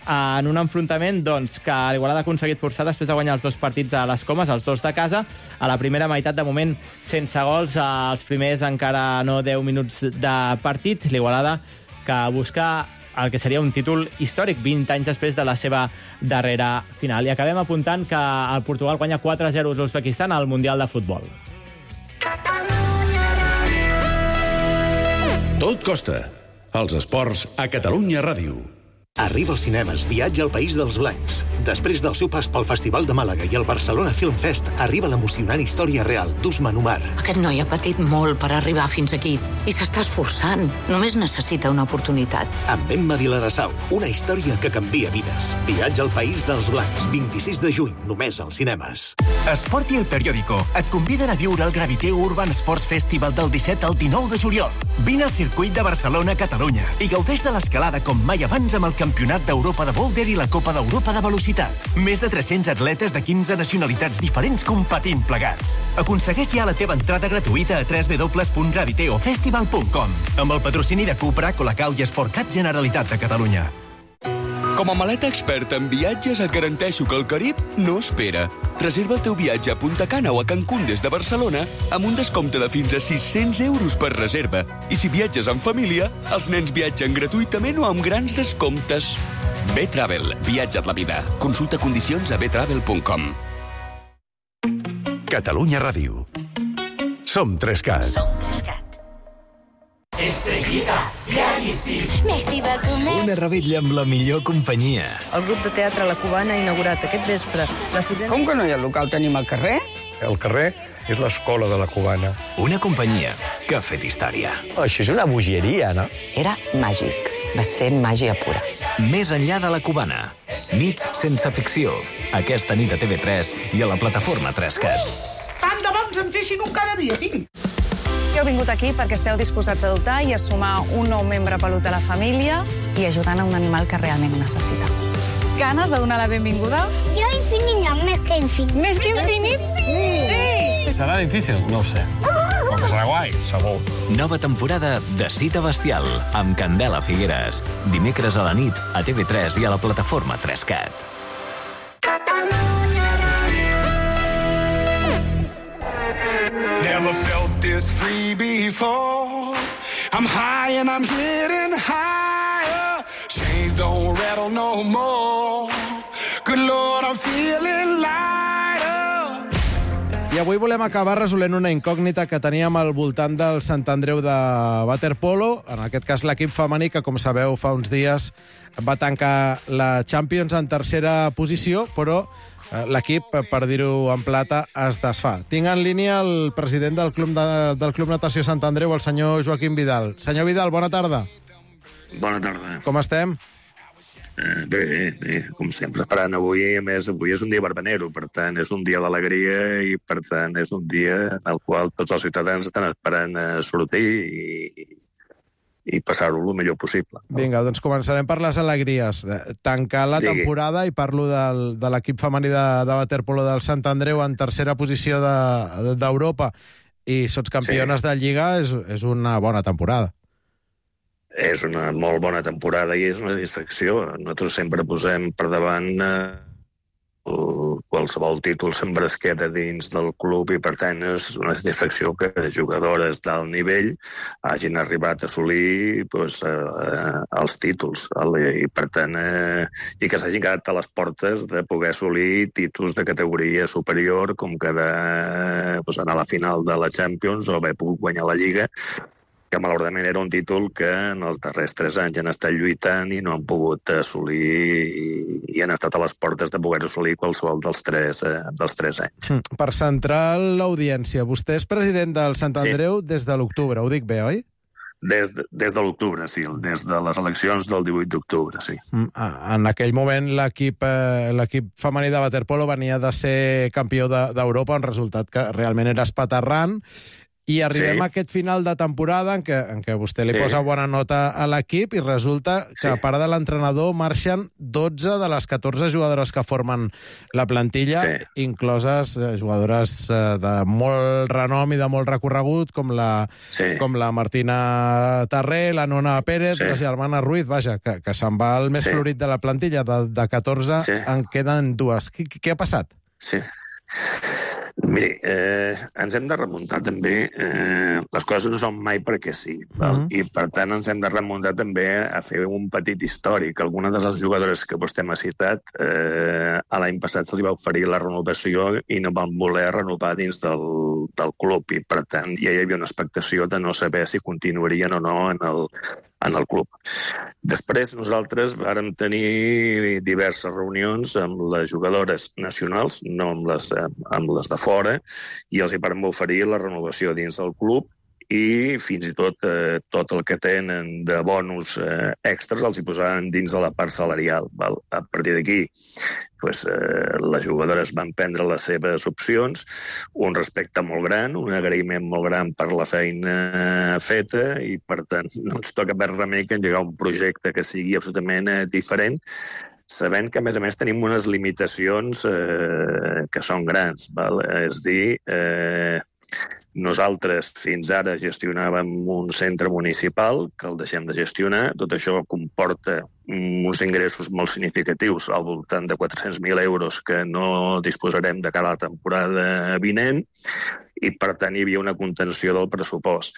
en un enfrontament doncs, que l'Igualada ha aconseguit forçar després de guanyar els 2 partits a les Comes, els 2 de casa. A la primera meitat, de moment, sense gols, els primers encara no 10 minuts de partit. L'Igualada, que busca el que seria un títol històric 20 anys després de la seva darrera final. I acabem apuntant que el Portugal guanya 4-0 l'Uzbekistan al Mundial de Futbol. Tot costa. Els esports a Catalunya Ràdio. Arriba als cinemes Viatge al País dels Blancs. Després del seu pas pel Festival de Màlaga i el Barcelona Film Fest, arriba l'emocionant història real d'Usman Umar. Aquest noi ha patit molt per arribar fins aquí i s'està esforçant. Només necessita una oportunitat. Amb Emma Vilarassau, una història que canvia vides. Viatge al País dels Blancs, 26 de juny, només als cinemes. Esport i el Periódico et conviden a viure el Graviteu Urban Sports Festival del 17 al 19 de juliol. Vine al circuit de Barcelona, Catalunya, i gaudeix de l'escalada com mai abans amb el Campionat d'Europa de Boulder i la Copa d'Europa de Velocitat. Més de 300 atletes de 15 nacionalitats diferents competint plegats. Aconsegueix ja la teva entrada gratuïta a www.graviteofestival.com amb el patrocini de Cupra, Colacau i Sportcat Generalitat de Catalunya. Com a maleta experta en viatges et garanteixo que el Carib no espera. Reserva el teu viatge a Punta Cana o a Cancún des de Barcelona amb un descompte de fins a 600 euros per reserva. I si viatges en família, els nens viatgen gratuïtament o amb grans descomptes. B-Travel. Viatja't la vida. Consulta condicions a btravel.com. Catalunya Ràdio. Som 3CAT. Som 3CAT. Estrellita, llaníssim. Messi va comer. Una revetlla amb la millor companyia. El grup de teatre La Cubana ha inaugurat aquest vespre la sisena... Com que no hi ha local? Tenim al carrer? El carrer és l'escola de La Cubana. Una companyia que ha fet història. Això és una bogeria, no? Era màgic. Va ser màgia pura. Més enllà de La Cubana. Nits sense ficció. Aquesta nit a TV3 i a la plataforma 3CAT. Tant de bons em feixin un cada dia, tinc. Heu vingut aquí perquè esteu disposats a adoptar i a sumar un nou membre pelut a la família i ajudant a un animal que realment ho necessita. Ganes de donar la benvinguda? Jo infinit no, més que infinit. Més que infinit? Sí! Serà difícil? No ho sé. serà guai, segur. Nova temporada de Cita Bestial, amb Candela Figueres. Dimecres a la nit, a TV3 i a la plataforma 3CAT. Never felt this free before. I'm high and I'm getting higher. Chains don't rattle no more. Good Lord, I'm feeling lighter. I avui volem acabar resolent una incògnita que teníem al voltant del Sant Andreu de waterpolo, en aquest cas l'equip femení, que, com sabeu, fa uns dies va tancar la Champions en tercera posició, però l'equip, per dir-ho en plata, es desfà. Tinc en línia el president del Club Natació Sant Andreu, el senyor Joaquim Vidal. Senyor Vidal, bona tarda. Bona tarda. Com estem? Bé, com sempre, esperant avui. A més, avui és un dia verbenero, per tant, és un dia d'alegria i, per tant, és un dia en el qual tots els ciutadans estan esperant sortir i passar-ho el millor possible. Vinga, doncs començarem per les alegries. Tancar la temporada, i parlo de l'equip femení de waterpolo del Sant Andreu en tercera posició d'Europa, i sots campiones de Lliga, és una bona temporada. És una molt bona temporada i és una satisfacció. Nosaltres sempre posem per davant qualsevol títol sempre es queda dins del club i, per tant, és una satisfacció que jugadores d'alt nivell hagin arribat a assolir els títols i, per tant, i que s'hagin quedat a les portes de poder assolir títols de categoria superior, com quedar anar a la final de la Champions o haver pogut guanyar la Lliga, que malauradament era un títol que en els darrers 3 anys han estat lluitant i no han pogut assolir i han estat a les portes de poder assolir qualsevol dels 3 anys. Per centrar l'audiència, vostè és president del Sant Andreu des de l'octubre, ho dic bé, oi? Des de l'octubre, sí, des de les eleccions del 18 d'octubre, sí. En aquell moment l'equip femení de waterpolo venia de ser campió d'Europa, un resultat que realment era espaterrant. I arribem a aquest final de temporada en què vostè li posa bona nota a l'equip i resulta que, a part de l'entrenador, marxen 12 de les 14 jugadores que formen la plantilla, incloses jugadores de molt renom i de molt recorregut, com la Martina Tarré, la Nona Pérez, la germana Ruiz, vaja, que se'n va el més florit de la plantilla. De 14 en queden 2. Què ha passat? Sí. Miri, ens hem de remuntar també, les coses no són mai perquè sí, i per tant ens hem de remuntar també a fer un petit històric. Algunes de les jugadores que vostè m'ha citat, l'any passat se'ls va oferir la renovació i no van voler renovar dins del club, i per tant ja hi havia una expectació de no saber si continuarien o no en el club. Després nosaltres vàrem tenir diverses reunions amb les jugadores nacionals, no amb les de fora, i els hi vàrem oferir la renovació dins del club i fins i tot el que tenen de bonus extras els hi posaven dins de la part salarial. A partir d'aquí, les jugadores van prendre les seves opcions, un respecte molt gran, un agraïment molt gran per la feina feta, i per tant no ens toca més remei que engegar un projecte que sigui absolutament diferent, sabent que, a més, tenim unes limitacions que són grans. És dir, nosaltres fins ara gestionàvem un centre municipal que el deixem de gestionar. Tot això comporta uns ingressos molt significatius, al voltant de 400.000 euros, que no disposarem de cara a la temporada vinent, i per tant hi havia una contenció del pressupost.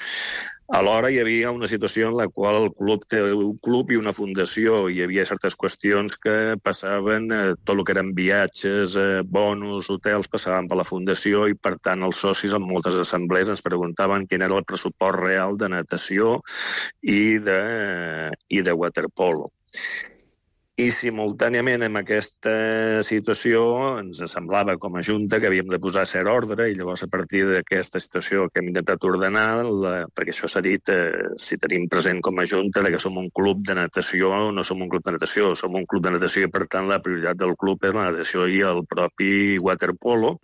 Alhora hi havia una situació en la qual el club té un club i una fundació, i hi havia certes qüestions que passaven, tot el que eren viatges, bonus, hotels, passaven per la fundació, i per tant els socis en moltes assemblees ens preguntaven quin era el pressupost real de natació i de waterpolo. I simultàniament amb aquesta situació ens semblava com a Junta que havíem de posar cert ordre, i llavors a partir d'aquesta situació que hem intentat ordenar, perquè això s'ha dit, si tenim present com a Junta, que som un club de natació, no som un club de natació, som un club de natació, i per tant la prioritat del club és la natació i el propi waterpolo.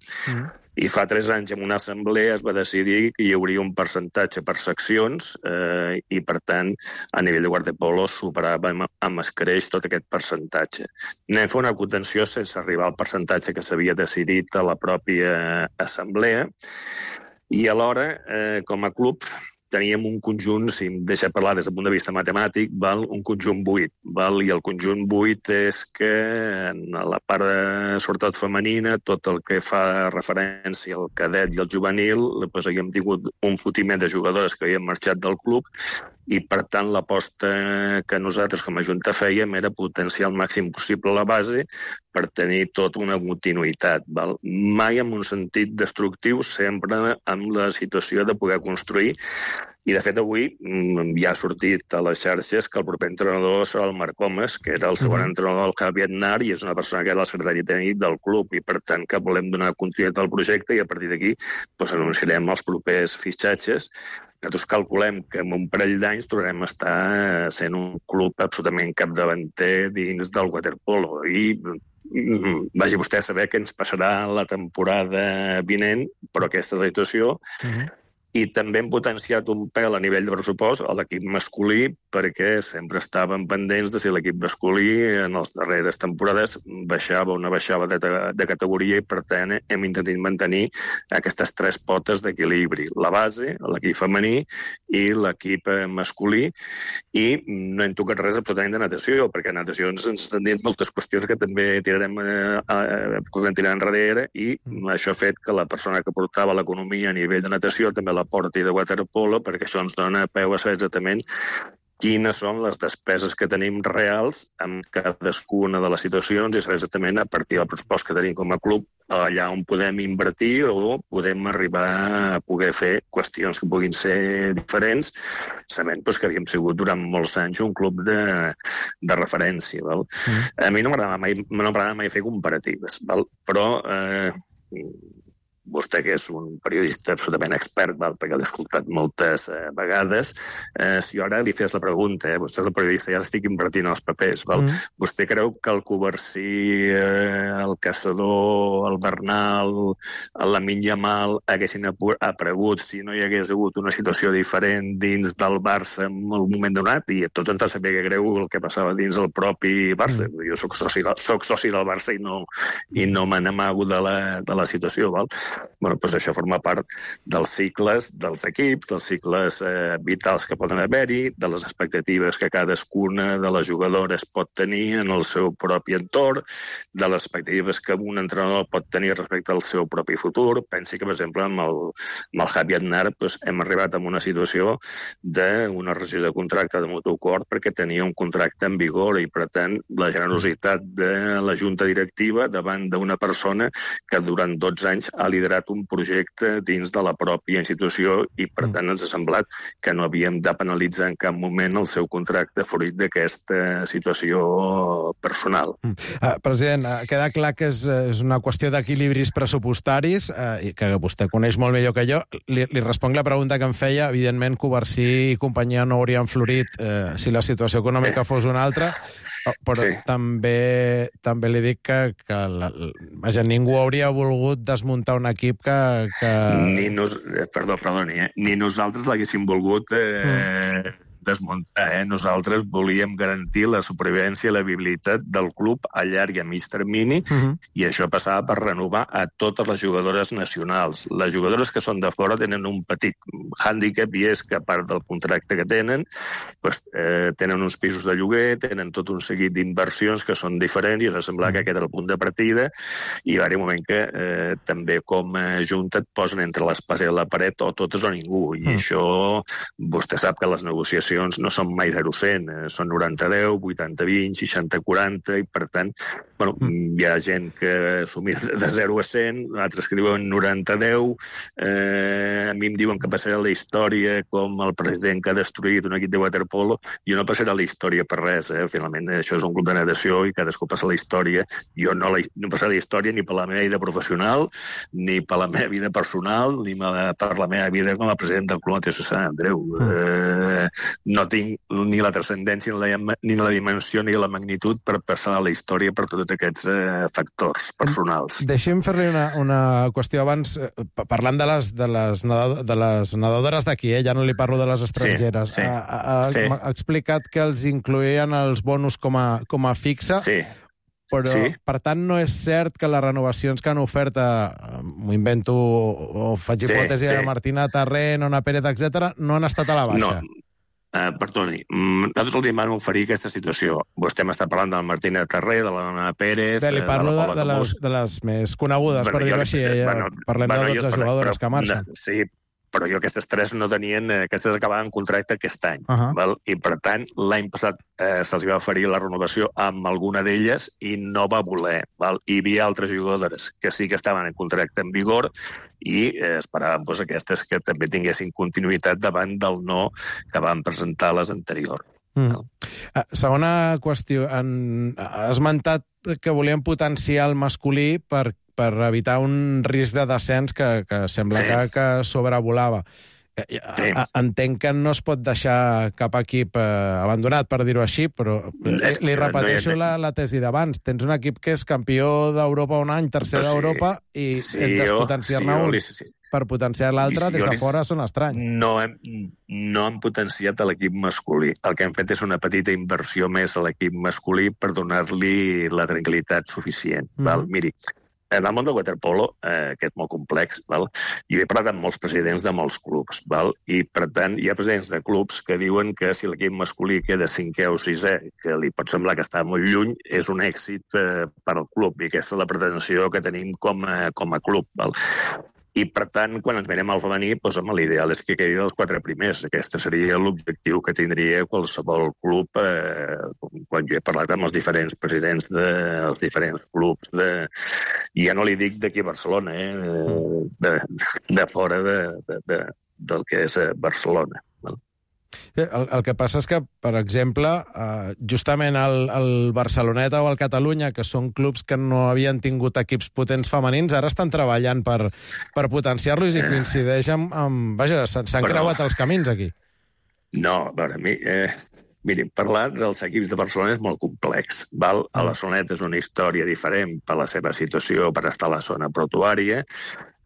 I fa 3 anys en una assemblea es va decidir que hi hauria un percentatge per seccions i, per tant, a nivell de waterpolo superava amb escreix tot aquest percentatge. Anem a fer una contenció sense arribar al percentatge que s'havia decidit a la pròpia assemblea. I alhora, com a club, teníem un conjunt, si em deixa parlar des del punt de vista matemàtic, un conjunt 8. I el conjunt 8 és que en la part sobretot femenina, tot el que fa referència al cadet i al juvenil, doncs havíem tingut un fotiment de jugadores que havien marxat del club i, per tant, l'aposta que nosaltres com a Junta fèiem era potenciar al màxim possible la base per tenir tota una continuïtat. Mai en un sentit destructiu, sempre amb la situació de poder construir. I, de fet, avui ja ha sortit a les xarxes que el proper entrenador serà el Marc Homes, que era el segon entrenador del Javi Aznar i és una persona que era el secretari tècnic del club i, per tant, que volem donar continuïtat al projecte i a partir d'aquí anunciarem els propers fitxatges. Nosaltres calculem que en un parell d'anys tornarem a estar sent un club absolutament capdavanter dins del waterpolo i vagi vostè a saber què ens passarà la temporada vinent, però aquesta és la situació. I també hem potenciat un pèl a nivell de pressupost a l'equip masculí perquè sempre estàvem pendents de si l'equip masculí en les darreres temporades baixava o no baixava de categoria i, per tant, hem intentat mantenir aquestes 3 potes d'equilibri. La base, l'equip femení i l'equip masculí, i no hem tocat res absolutament de natació, perquè a natació ens estan dient moltes qüestions que també tirarem enrere i això ha fet que la persona que portava l'economia a nivell de natació també la porti de waterpolo, perquè això ens dona peu a saber exactament quines són les despeses que tenim reals en cadascuna de les situacions i saber exactament a partir del pressupost que tenim com a club allà on podem invertir o podem arribar a poder fer qüestions que puguin ser diferents, sabent que havíem sigut durant molts anys un club de referència. A mi no m'agrada mai fer comparatives, però vostè, que és un periodista absolutament expert, perquè l'he escoltat moltes vegades, si jo ara li fes la pregunta, vostè és el periodista, ja l'estic invertint als papers, vostè creu que el Covarsí, el Caçador, el Bernal, el Lamine Yamal haguessin aparegut si no hi hagués hagut una situació diferent dins del Barça en un moment donat? I a tots ens va saber que greu el que passava dins el propi Barça. Jo soc soci del Barça i no me n'amago de la situació, val? Doncs això forma part dels cicles dels equips, dels cicles vitals que poden haver-hi, de les expectatives que cadascuna de les jugadores pot tenir en el seu propi entorn, de les expectatives que un entrenador pot tenir respecte al seu propi futur. Pensi que, per exemple, amb el Javi Aznar hem arribat a una situació d'una rescissió de contracte de mutu acord perquè tenia un contracte en vigor i, per tant, la generositat de la junta directiva davant d'una persona que durant 12 anys ha liderat un projecte dins de la pròpia institució i, per tant, ens ha semblat que no havíem de penalitzar en cap moment el seu contracte fruit d'aquesta situació personal. President, queda clar que és una qüestió d'equilibris pressupostaris, que vostè coneix molt millor que jo. Li responc la pregunta que em feia. Evidentment, Covarsí i companyia no haurien florit si la situació econòmica fos una altra, però també li dic que ningú hauria volgut desmuntar un equip que... Perdoni, ni nosaltres l'haguéssim volgut desmuntar. Nosaltres volíem garantir la supervivència i la viabilitat del club a llarg i a mig termini i això passava per renovar a totes les jugadores nacionals. Les jugadores que són de fora tenen un petit hàndicap i és que, a part del contracte que tenen, tenen uns pisos de lloguer, tenen tot un seguit d'inversions que són diferents i ens sembla que aquest era el punt de partida i va haver un moment que també com a junta et posen entre l'espasa i la paret o totes o ningú i això vostè sap que les negociacions no són mai 0-100, són 90-10, 80-20, 60-40, i per tant, hi ha gent que s'ho mira de 0 a 100, altres que diuen 90-10, a mi em diuen que passarà la història com el president que ha destruït un equip de waterpolo, jo no passarà la història per res, finalment això és un club de natació i cadascú passa la història, jo no passaré la història ni per la meva vida professional, ni per la meva vida personal, ni per la meva vida com a president del Club Natació Sant Andreu. No tinc ni la transcendència, ni la dimensió, ni la magnitud per passar a la història per tots aquests factors personals. Deixi'm fer-li una qüestió abans, parlant de les nedadores d'aquí, ja no li parlo de les estrangeres. Ha explicat que els incloïen els bonus com a fixa. Sí. però, Sí. per tant, no és cert que les renovacions que han ofert, m'ho invento, o faig Sí, hipòtesi, sí. a Martina Tarré, Nona Pérez, etc., no han estat a la baixa. No. Perdoni, nosaltres els vam oferir aquesta situació. Vostè m'està parlant de la Martina Tarré, de la Nona Pérez... Li parlo la Paula Camós. de les més conegudes, per dir-ho així. Parlem de 12 jugadores que marxen. Sí, però jo aquestes 3 no tenien... Aquestes acabaven contracte aquest any. Val? I, per tant, l'any passat se'ls va oferir la renovació amb alguna d'elles i no va voler. Val? Hi havia altres jugadores que sí que estaven en contracte en vigor i esperàvem aquestes que també tinguessin continuïtat davant del no que van presentar les anteriors. Segona qüestió. Has esmentat que volien potenciar el masculí per evitar un risc de descens que sembla que sobrevolava. Entenc que no es pot deixar cap equip abandonat, per dir-ho així, però li repeteixo la tesi d'abans. Tens un equip que és campió d'Europa un any, tercer d'Europa, i despotenciar-ne un per potenciar l'altre des de fora són estranys. No hem potenciat l'equip masculí. El que hem fet és una petita inversió més a l'equip masculí per donar-li la tranquil·litat suficient. Miri, en el món del waterpolo, que és molt complex, hi he parlat amb molts presidents de molts clubs, i, per tant, hi ha presidents de clubs que diuen que si l'equip masculí queda 5è o 6è, que li pot semblar que està molt lluny, és un èxit per al club, i aquesta és la pretensió que tenim com a club. I, per tant, quan ens mirem al femení, l'ideal és que quedi dels 4 primers. Aquest seria l'objectiu que tindria qualsevol club, quan jo he parlat amb els diferents presidents dels diferents clubs, i ja no li dic d'aquí a Barcelona, de fora del que és Barcelona. El que passa és que, per exemple, justament el Barceloneta o el Catalunya, que són clubs que no havien tingut equips potents femenins, ara estan treballant per potenciar-los i coincideix amb... Vaja, s'han creuat els camins aquí. No, a veure, miri, parlar dels equips de Barcelona és molt complex. A la Soneta és una història diferent per la seva situació, per estar a la zona portuària.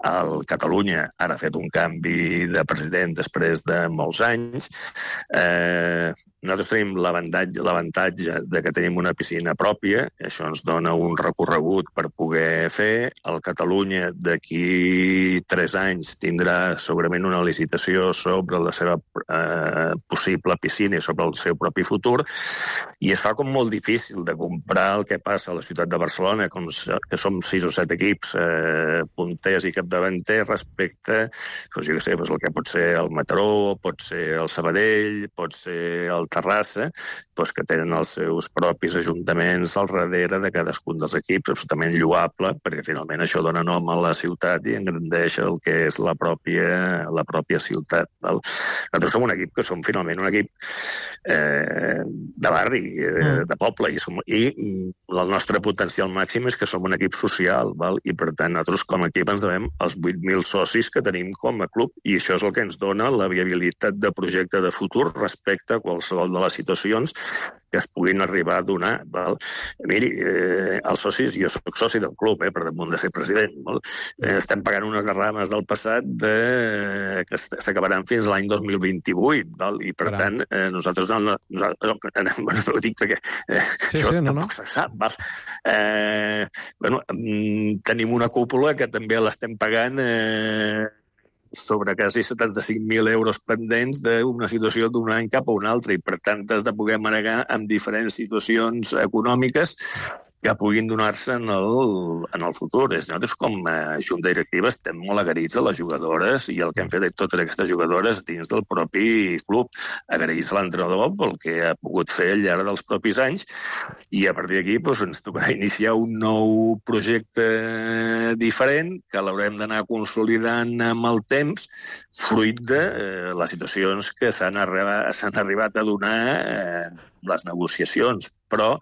El Catalunya ara ha fet un canvi de president després de molts anys. Nosaltres tenim l'avantatge de que tenim una piscina pròpia, això ens dona un recorregut per poder fer. El Catalunya d'aquí 3 anys tindrà segurament una licitació sobre la seva possible piscina i sobre el seu propi futur, i es fa com molt difícil de comprar el que passa a la ciutat de Barcelona, que som 6 o 7 equips punters i capdavanters respecte, jo què sé, el que pot ser el Mataró, pot ser el Sabadell, pot ser el Terrassa, que tenen els seus propis ajuntaments al darrere de cadascun dels equips, absolutament lloable, perquè finalment això dona nom a la ciutat i engrandeix el que és la pròpia ciutat. Nosaltres som un equip que som finalment un equip de barri, de poble, i el nostre potencial màxim és que som un equip social, i per tant nosaltres com a equip ens devem els 8.000 socis que tenim com a club, i això és el que ens dona la viabilitat de projecte de futur respecte a qualsevol de les situacions que es puguin arribar a donar. Miri, els socis, jo soc soci del club, per damunt de ser president, estem pagant unes derrames del passat que s'acabaran fins l'any 2028, i per tant nosaltres ho dic perquè això tampoc se sap. Tenim una cúpula que també l'estem pagant sobre quasi 75.000 euros pendents d'una situació d'un any cap a un altre, i per tant has de poder manegar amb diferents situacions econòmiques que puguin donar-se en el futur. Nosaltres, com a junta directiva, estem molt agraïts a les jugadores i el que han fet totes aquestes jugadores dins del propi club. Agraïts a l'entrenador pel que ha pogut fer al llarg dels propis anys, i a partir d'aquí ens tocarà iniciar un nou projecte diferent que l'haurem d'anar consolidant amb el temps, fruit de les situacions que s'han arribat a donar les negociacions. Però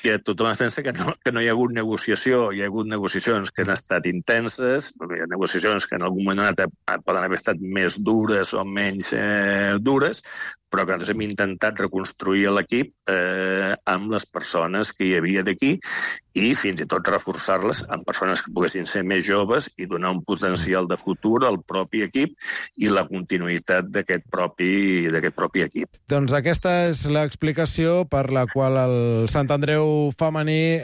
que tothom es pensa que no hi ha hagut negociació. Hi ha hagut negociacions que han estat intenses, hi ha negociacions que en algun moment poden haver estat més dures o menys dures, però que nosaltres hem intentat reconstruir l'equip amb les persones que hi havia d'aquí i fins i tot reforçar-les amb persones que poguessin ser més joves i donar un potencial de futur al propi equip i la continuïtat d'aquest propi equip. Doncs aquesta és l'explicació per la qual el Sant Andreu femení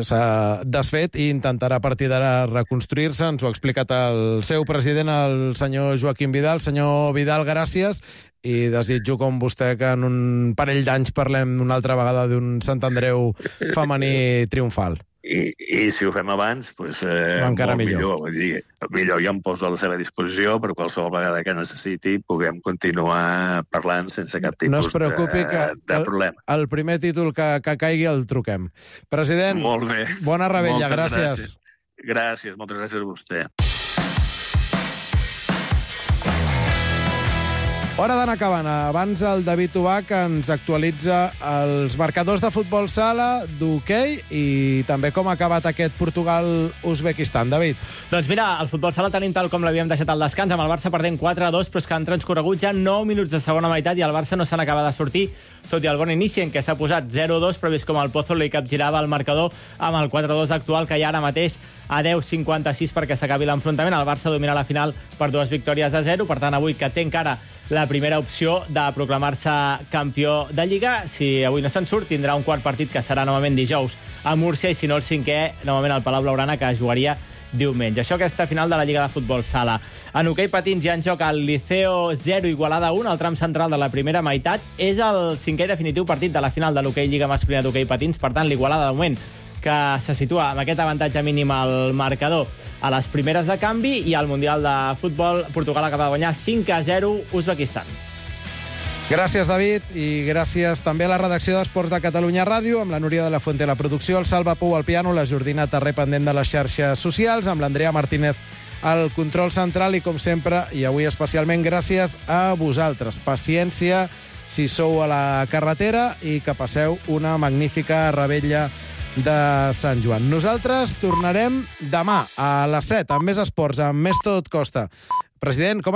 s'ha desfet i intentarà a partir d'ara reconstruir-se. Ens ho ha explicat el seu president, el senyor Joaquim Vidal. Senyor Vidal, gràcies. I desitjo, com vostè, que en un parell d'anys parlem una altra vegada d'un Sant Andreu femení triomfal. I si ho fem abans, doncs encara millor. Vull dir, millor jo em poso a la seva disposició per qualsevol vegada que necessiti puguem continuar parlant sense cap tipus de problema. El primer títol que caigui el truquem. President, molt bé. Bona rebella, gràcies. Gràcies, moltes gràcies a vostè. Hora d'anar acabant. Abans el David Ubach ens actualitza els marcadors de futbol sala, d'hoquei i també com ha acabat aquest Portugal-Uzbekistan. David. Doncs mira, el futbol sala tenim tal com l'havíem deixat al descans, amb el Barça perdent 4-2, però és que han transcorregut ja 9 minuts de segona meitat i el Barça no se n'acaba de sortir, tot i el bon inici en què s'ha posat 0-2, però vist com el Pozo li capgirava el marcador amb el 4-2 actual, que hi ha ara mateix a 10:56 perquè s'acabi l'enfrontament. El Barça domina la final per 2-0, per tant avui que té encara la primera opció de proclamar-se campió de Lliga. Si avui no se'n surt, tindrà un quart partit que serà novament dijous a Múrcia i si no el cinquè, novament al Palau Blaugrana, que jugaria diumenge. Això aquesta final de la Lliga de Futbol Sala. En hoquei patins hi ha en joc el Liceo 0, Igualada 1, el tram central de la primera meitat. És el cinquè i definitiu partit de la final de l'hoquei Lliga Masculina d'Hoquei Patins. Per tant, l'Igualada, de moment, que se situa amb aquest avantatge mínim al marcador a les primeres de canvi, i al Mundial de Futbol Portugal acaba de guanyar 5-0 Uzbekistan. Gràcies, David, i gràcies també a la redacció d'Esports de Catalunya Ràdio, amb la Núria de la Fuente a la producció, el Salva Pou al piano, la Jordina Tarré pendent de les xarxes socials, amb l'Andrea Martínez al control central, i com sempre, i avui especialment, gràcies a vosaltres. Paciència si sou a la carretera i que passeu una magnífica revetlla de Sant Joan. Nosaltres tornarem demà a les 7 amb més esports, amb més Tot Costa. President, com